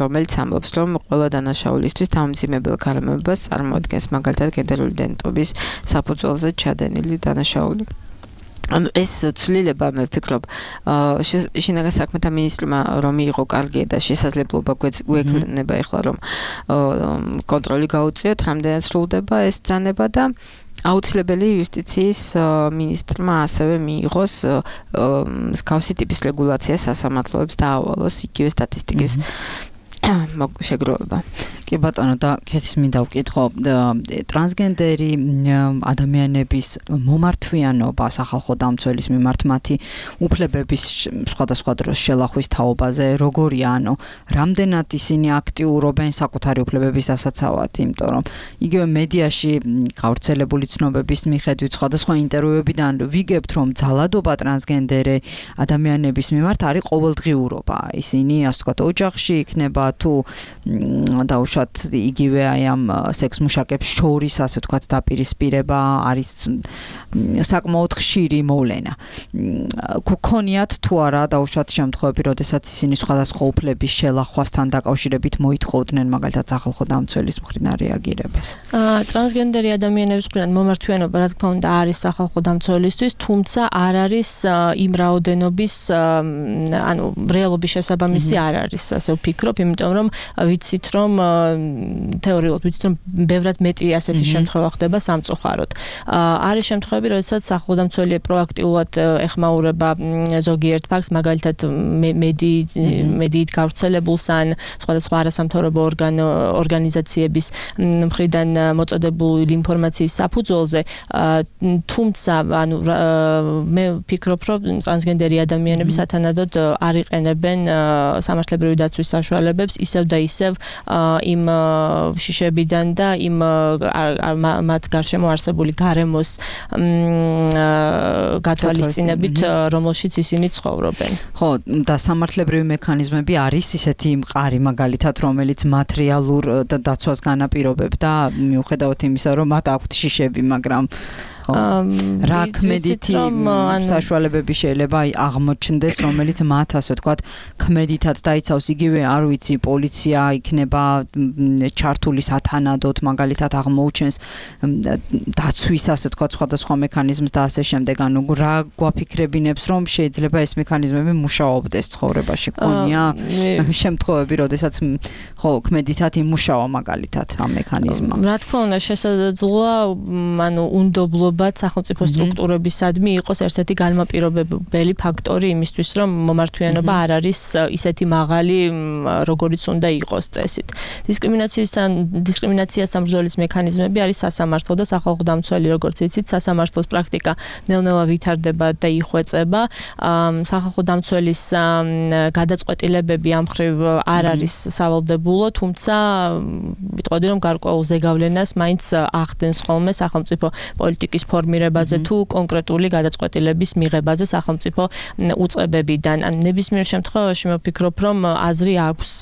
რომელიც ამბობს, რომ ყველა დანაშაულისთვის თავმძიმებელ გარემოებას წარმოადგენს მაგალითად გენდერული იდენტობის საფუძველზე ჩადენილი დანაშაული. ანუ ეს ცვლილება მე ვფიქრობ, შინაგან საქმეთა მინისტრმა რომ მიიღო კარგი და შესაძლებლობა გვექნება ეხლა რომ კონტროლი გაუწიოთ, რამდენად სრულდება ეს ბრძანება და აუცილებელი იუსტიციის მინისტრმა ასევე მიიღოს მსგავსი ტიპის რეგულაცია სასამართლოებს დაავალოს იგივე სტატისტიკის შეგროვება. კი ბატონო, და კეთის მინდა ვკითხო, ტრანსგენდერი ადამიანების მომართვიანობა სახალხო დამცველის მიმართ მათი უფლებების სხვადასხვა დროს შელახვის თაობაზე როგორია, ანუ რამდენად ისინი აქტიურობენ საკუთარი უფლებების დასაცავად, იმიტომ რომ იგივე მედიაში გავრცელებული ცნობების მიხედვით სხვადასხვა ინტერვიუებიდან ვიგებთ, რომ ძალადობა ტრანსგენდერი ადამიანების მიმართ არის ყოველდღიურობა. ისინი ასე ვთქვათ ოჯახში იქნება თუ დაუშვათ დაუშვათ იგივე აი ამ სექს მუშაკებს შორის ასე ვთქვათ დაპირისპირება არის საკმაოდ ხშირი მოვლენა. გქონიათ თუ არა დაუშვათ შემთხვევები, როდესაც ისინი სხვადასხვა უფლების შელახვასთან დაკავშირებით მოითხოვდნენ მაგალითად სახალხო დამცველის მხრიდან რეაგირებას. ტრანსგენდერი ადამიანების მხრიდან მომართვიანობა რა თქმა უნდა არის სახალხო დამცველისთვის, თუმცა არ არის იმ რაოდენობის ანუ რეალობის შესაბამისი არ არის, ასე ვფიქრობ, იმიტომ რომ ვიცით რომ თეორიულად ვიცით რომ ბევრად მეტი ასეთი შემთხვევა ხდება სამწუხაროდ. არის შემთხვევები, როდესაც სახალხო დამცველი პროაქტიულად ეხმაურება ზოგიერთ ფაქტს, მაგალითად მედიით გავრცელებულს ან სხვადასხვა არასამთავრობო ორგანიზაციების მხრიდან მოწოდებული ინფორმაციის საფუძველზე, თუმცა ანუ მე ვფიქრობ, რომ ტრანსგენდერი ადამიანები სათანადოდ არ იყენებენ სამართლებრივი დაცვის საშუალებებს ისევ და ისევ იმ შიშებიდან და იმ მათ გარშემო არსებული გარემოს გათვალისწინებით, რომელშიც ისინი ცხოვრობენ. ხო, და სამართლებრივი მექანიზმები არის ისეთი მყარი მაგალითად, რომელიც მატერიალურ დაცვას განაპირობებდა, მიუხედავად იმისა, რომ მათ აქვთ შიშები, მაგრამ რა ქმედითი საშუალებები შეიძლება აღმოჩნდეს, რომელიც მათ ასე ვთქვათ ქმედითად დაიცავს, იგივე არ ვიცი, პოლიცია იქნება ჩართული სათანადოდ, მაგალითად აღმოუჩენს დაცვის ასე ვთქვათ სხვადასხვა მექანიზმს და ასე შემდეგ. ანუ რა გვაფიქრებინებს, რომ შეიძლება ეს მექანიზმები მუშაობდეს ცხოვრებაში? ქონია შემთხვევები, როდესაც ხო ქმედითად იმუშავა მაგალითად ამ მექანიზმმა. რა თქმა უნდა, შესაძლოა, ანუ უნდობლობა სახელმწიფო სტრუქტურებისადმი იყოს ერთ-ერთი განმაპირობებელი ფაქტორი იმისთვის, რომ მომართვიანობა არ არის ისეთი მაღალი, როგორიც უნდა იყოს წესით. დისკრიმინაციისთან დისკრიმინაციას სამბრძოლის მექანიზმები არის სასამართლო და სახალხო დამცველი, როგორც იცით, სასამართლოს პრაქტიკა ნელ-ნელა ვითარდება და იხვეწება. სახალხო დამცველის გადაწყვეტილებები ამ მხრივ არ არის სავალდებულო, თუმცა ვიტყოდი, რომ გარკვეულ ზეგავლენას მაინც ახდენს ხოლმე სახელმწიფო პოლიტიკის ფორმირებაზე თუ კონკრეტული გადაწყვეტილების მიღებაზე სახელმწიფო უწყებებიდან. ან ნებისმიერ შემთხვევაში მე ვფიქრობ, რომ აზრი აქვს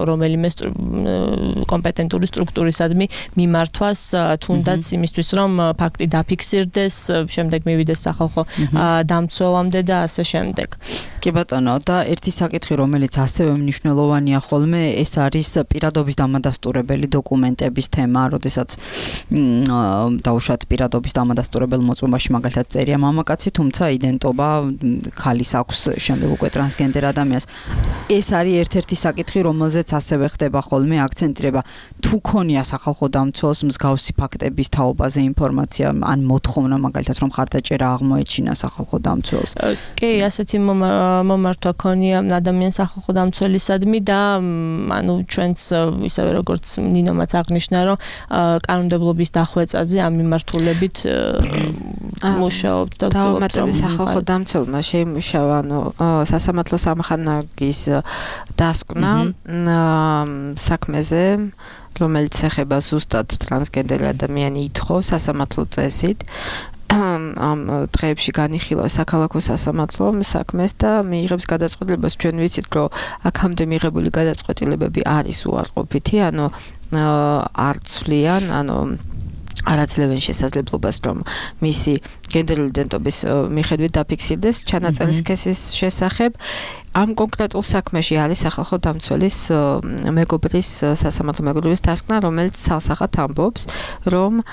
რომელიმე კომპეტენტური სტრუქტურისადმი მიმართვას, თუნდაც იმისთვის, რომ ფაქტი დაფიქსირდეს, შემდეგ მივიდეს სახალხო დამცველამდე და ასე შემდეგ. კი ბატონო, და ერთი საკითხი, რომელიც ასევე მნიშვნელოვანია ხოლმე, ეს არის პირადობის დამადასტურებელი დოკუმენტების თემა, როდესაც დაუშვათ პირადობის დამადასტურებელ მოწმობაში მაგალითად წერია მამაკაცი, თუმცა იდენტობა ქალის აქვს შემდეგ უკვე ტრანსგენდერ ადამიანს. ეს არის ერთ-ერთი საკითხი, რომელზეც ასევე ხდება ხოლმე აქცენტირება. თუ ქონია სახალხო დამცველს მსგავსი ფაქტების თაობაზე ინფორმაცია, ან მოთხოვნა მაგალითად, რომ ხარდაჭერა აღმოეჩინა სახალხო დამცველს. კი, ასეთი მომართვა ქონია ადამიანს სახალხო დამცველისადმი და ანუ ჩვენც ისევე როგორც ნინომაც აღნიშნა, რომ კანონმდებლობის დახვეწაზე ამ მიმართულებით მუშაობთ და დავუმატებთ სახალხო დამცველმა შეიმუშავა ანუ სასამართლო სამხანაგის დასკვნა საქმეზე, რომელიც ეხება ზუსტად ტრანსგენდერი ადამიანი ითხოვს სასამართლო წესით. ამ დღეებში განიხილა საქალაქო სასამართლო საქმეს და მიიღებს გადაწყვეტილებას. ჩვენ ვიცით, რომ აქამდე მიღებული გადაწყვეტილებები არის უარყოფითი, ანუ არ ცვლიან, ანუ არ აძლევენ შესაძლებლობას, რომ მისი გენდერული იდენტობის მიხედვით დაფიქსირდეს ჩანაწერი სქესის შესახებ. ამ კონკრეტულ საქმეში არის სახალხო დამცველის მეგობრის სასამართლო მეგობრის დასკვნა, რომელიც ცალსახად ამბობს, რომ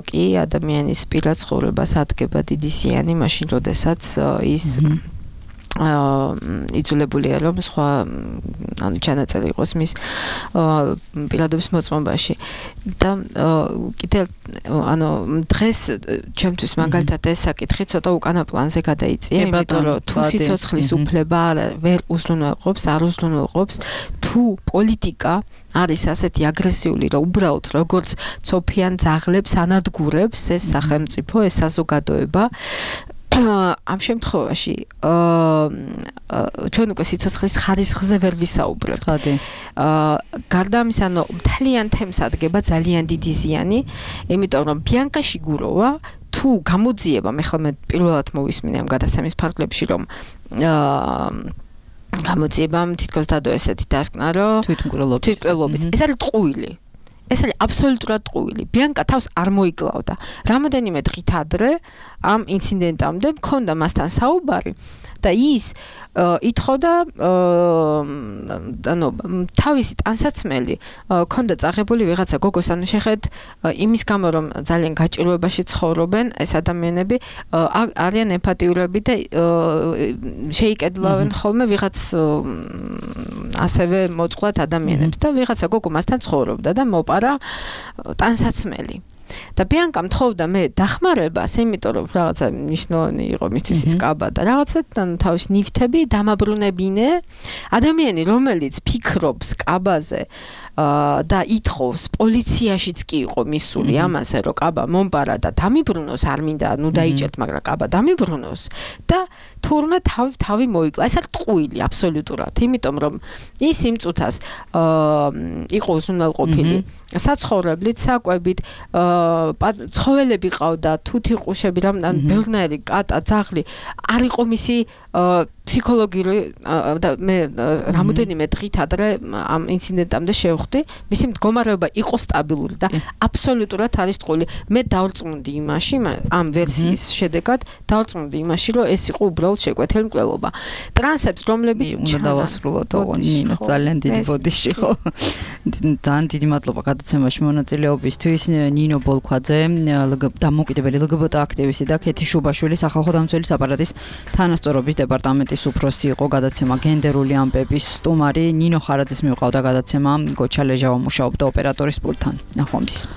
კი ადამიანის პირად ცხოვრებას ადგება დიდი ზიანი მაშინ, როდესაც ის იძულებულია, რომ სხვა ანუ ჩანაწერი იყოს მის პირადობის მოწმობაში. და კიდევ ანუ დღეს ჩემთვის მაგალითად ეს საკითხი ცოტა უკანა პლანზე გადაიწია, იმიტომ რომ თუ სიცოცხლის უფლება ვერ უზრუნველყოფს, არ უზრუნველყოფს, თუ პოლიტიკა არის ასეთი აგრესიული, რომ უბრალოდ როგორც ცოფიან ძაღლებს ანადგურებს ეს სახელმწიფო, ეს საზოგადოება, ამ შემთხვევაში ჩვენ უკვე სიცოცხლის ხარისხზე ვერ ვისაუბრებთ. გარდა ამისა, მთლიან თემს ადგება ძალიან დიდი ზიანი, იმიტომ რომ ბიანკა შიგუროვა თუ გამოძიება, მე ხოლმე პირველად მოვისმინე ამ გადაცემის ფარგლებში, რომ გამოძიებამ თითქოს დადო ესეთი დასკვნა, რომ თვითმკვლელობის. თვითმკვლელობის. ეს არის ტყუილი. ეს არის აბსოლუტურად ტყუილი. ბიანკა თავს არ მოიკლავდა. რამოდენიმე დღით ადრე ამ ინციდენტამდე მქონდა მასთან საუბარი და ის ითხოვდა ანუ თავისი ტანსაცმელი ქონდა წაღებული ვიღაცა გოგოს ანუ შეხეთ იმის გამო რომ ძალიან გაჭირვებაში ცხოვრობენ ეს ადამიანები არიან ემპათიურები და შეიკედლავენ ხოლმე ვიღაც ასევე მოწყვლად ადამიანებს და ვიღაცა გოგო მასთან ცხოვრობდა და მოპარა ტანსაცმელი და ბიანკამ თხოვდა მე დახმარებას, იმიტომ რომ რაღაცა მნიშვნელოვანი იყო მისთვის ის კაბა და რაღაცა თავის ნივთები დამაბრუნებინე ადამიანი რომელიც ფიქრობს კაბაზე და ითხოვს პოლიციაშიც კი იყო მისული ამაზე რომ კაბა მომპარა და დამიბრუნოს არ მინდა ნუ დაიჭერთ მაგრამ კაბა დამიბრუნოს და თურმე თავი თავი მოიკლა ეს არის ტყუილი აბსოლუტურად იმიტომ რომ ის იმ წუთას იყო უზრუნველყოფილი საცხოვრებლით საკვებით ცხოველები ყავდა თუთი ყუშები რამან ბევრნაირი კატა ძაღლი არ იყო მისი ფსიქოლოგიური და მე რამოდენიმე დღით ადრე ამ ინციდენტამდე შევხვდი მისი მდგომარეობა იყო სტაბილური და აბსოლუტურად არის ტყუილი მე დავრწმუნდი იმაში ამ ვერსიის შედეგად დავრწმუნდი იმაში რომ ეს იყო უბრალოდ შეკვეთილი მკვლელობა ტრანსებს რომლებიც უნდა დავასრულოთ ნინო ძალიან დიდი ბოდიში ხო ძალიან დიდი მადლობა გადაცემაში მონაწილეობისთვის ნინო ბოლქვაძე დამოუკიდებელი ლგბტ აქტივისტი და ქეთი შუბაშვილი სახალხო დამცველის აპარატის თანასწორობის დეპარტამენტის უფროსი იყო გადაცემა გენდერული ამბების სტუმარი ნინო ხარაძის მიუყავდა გადაცემა გოჩა ლეჟავა მუშაობდა ოპერატორის პულტთან ნახვამდის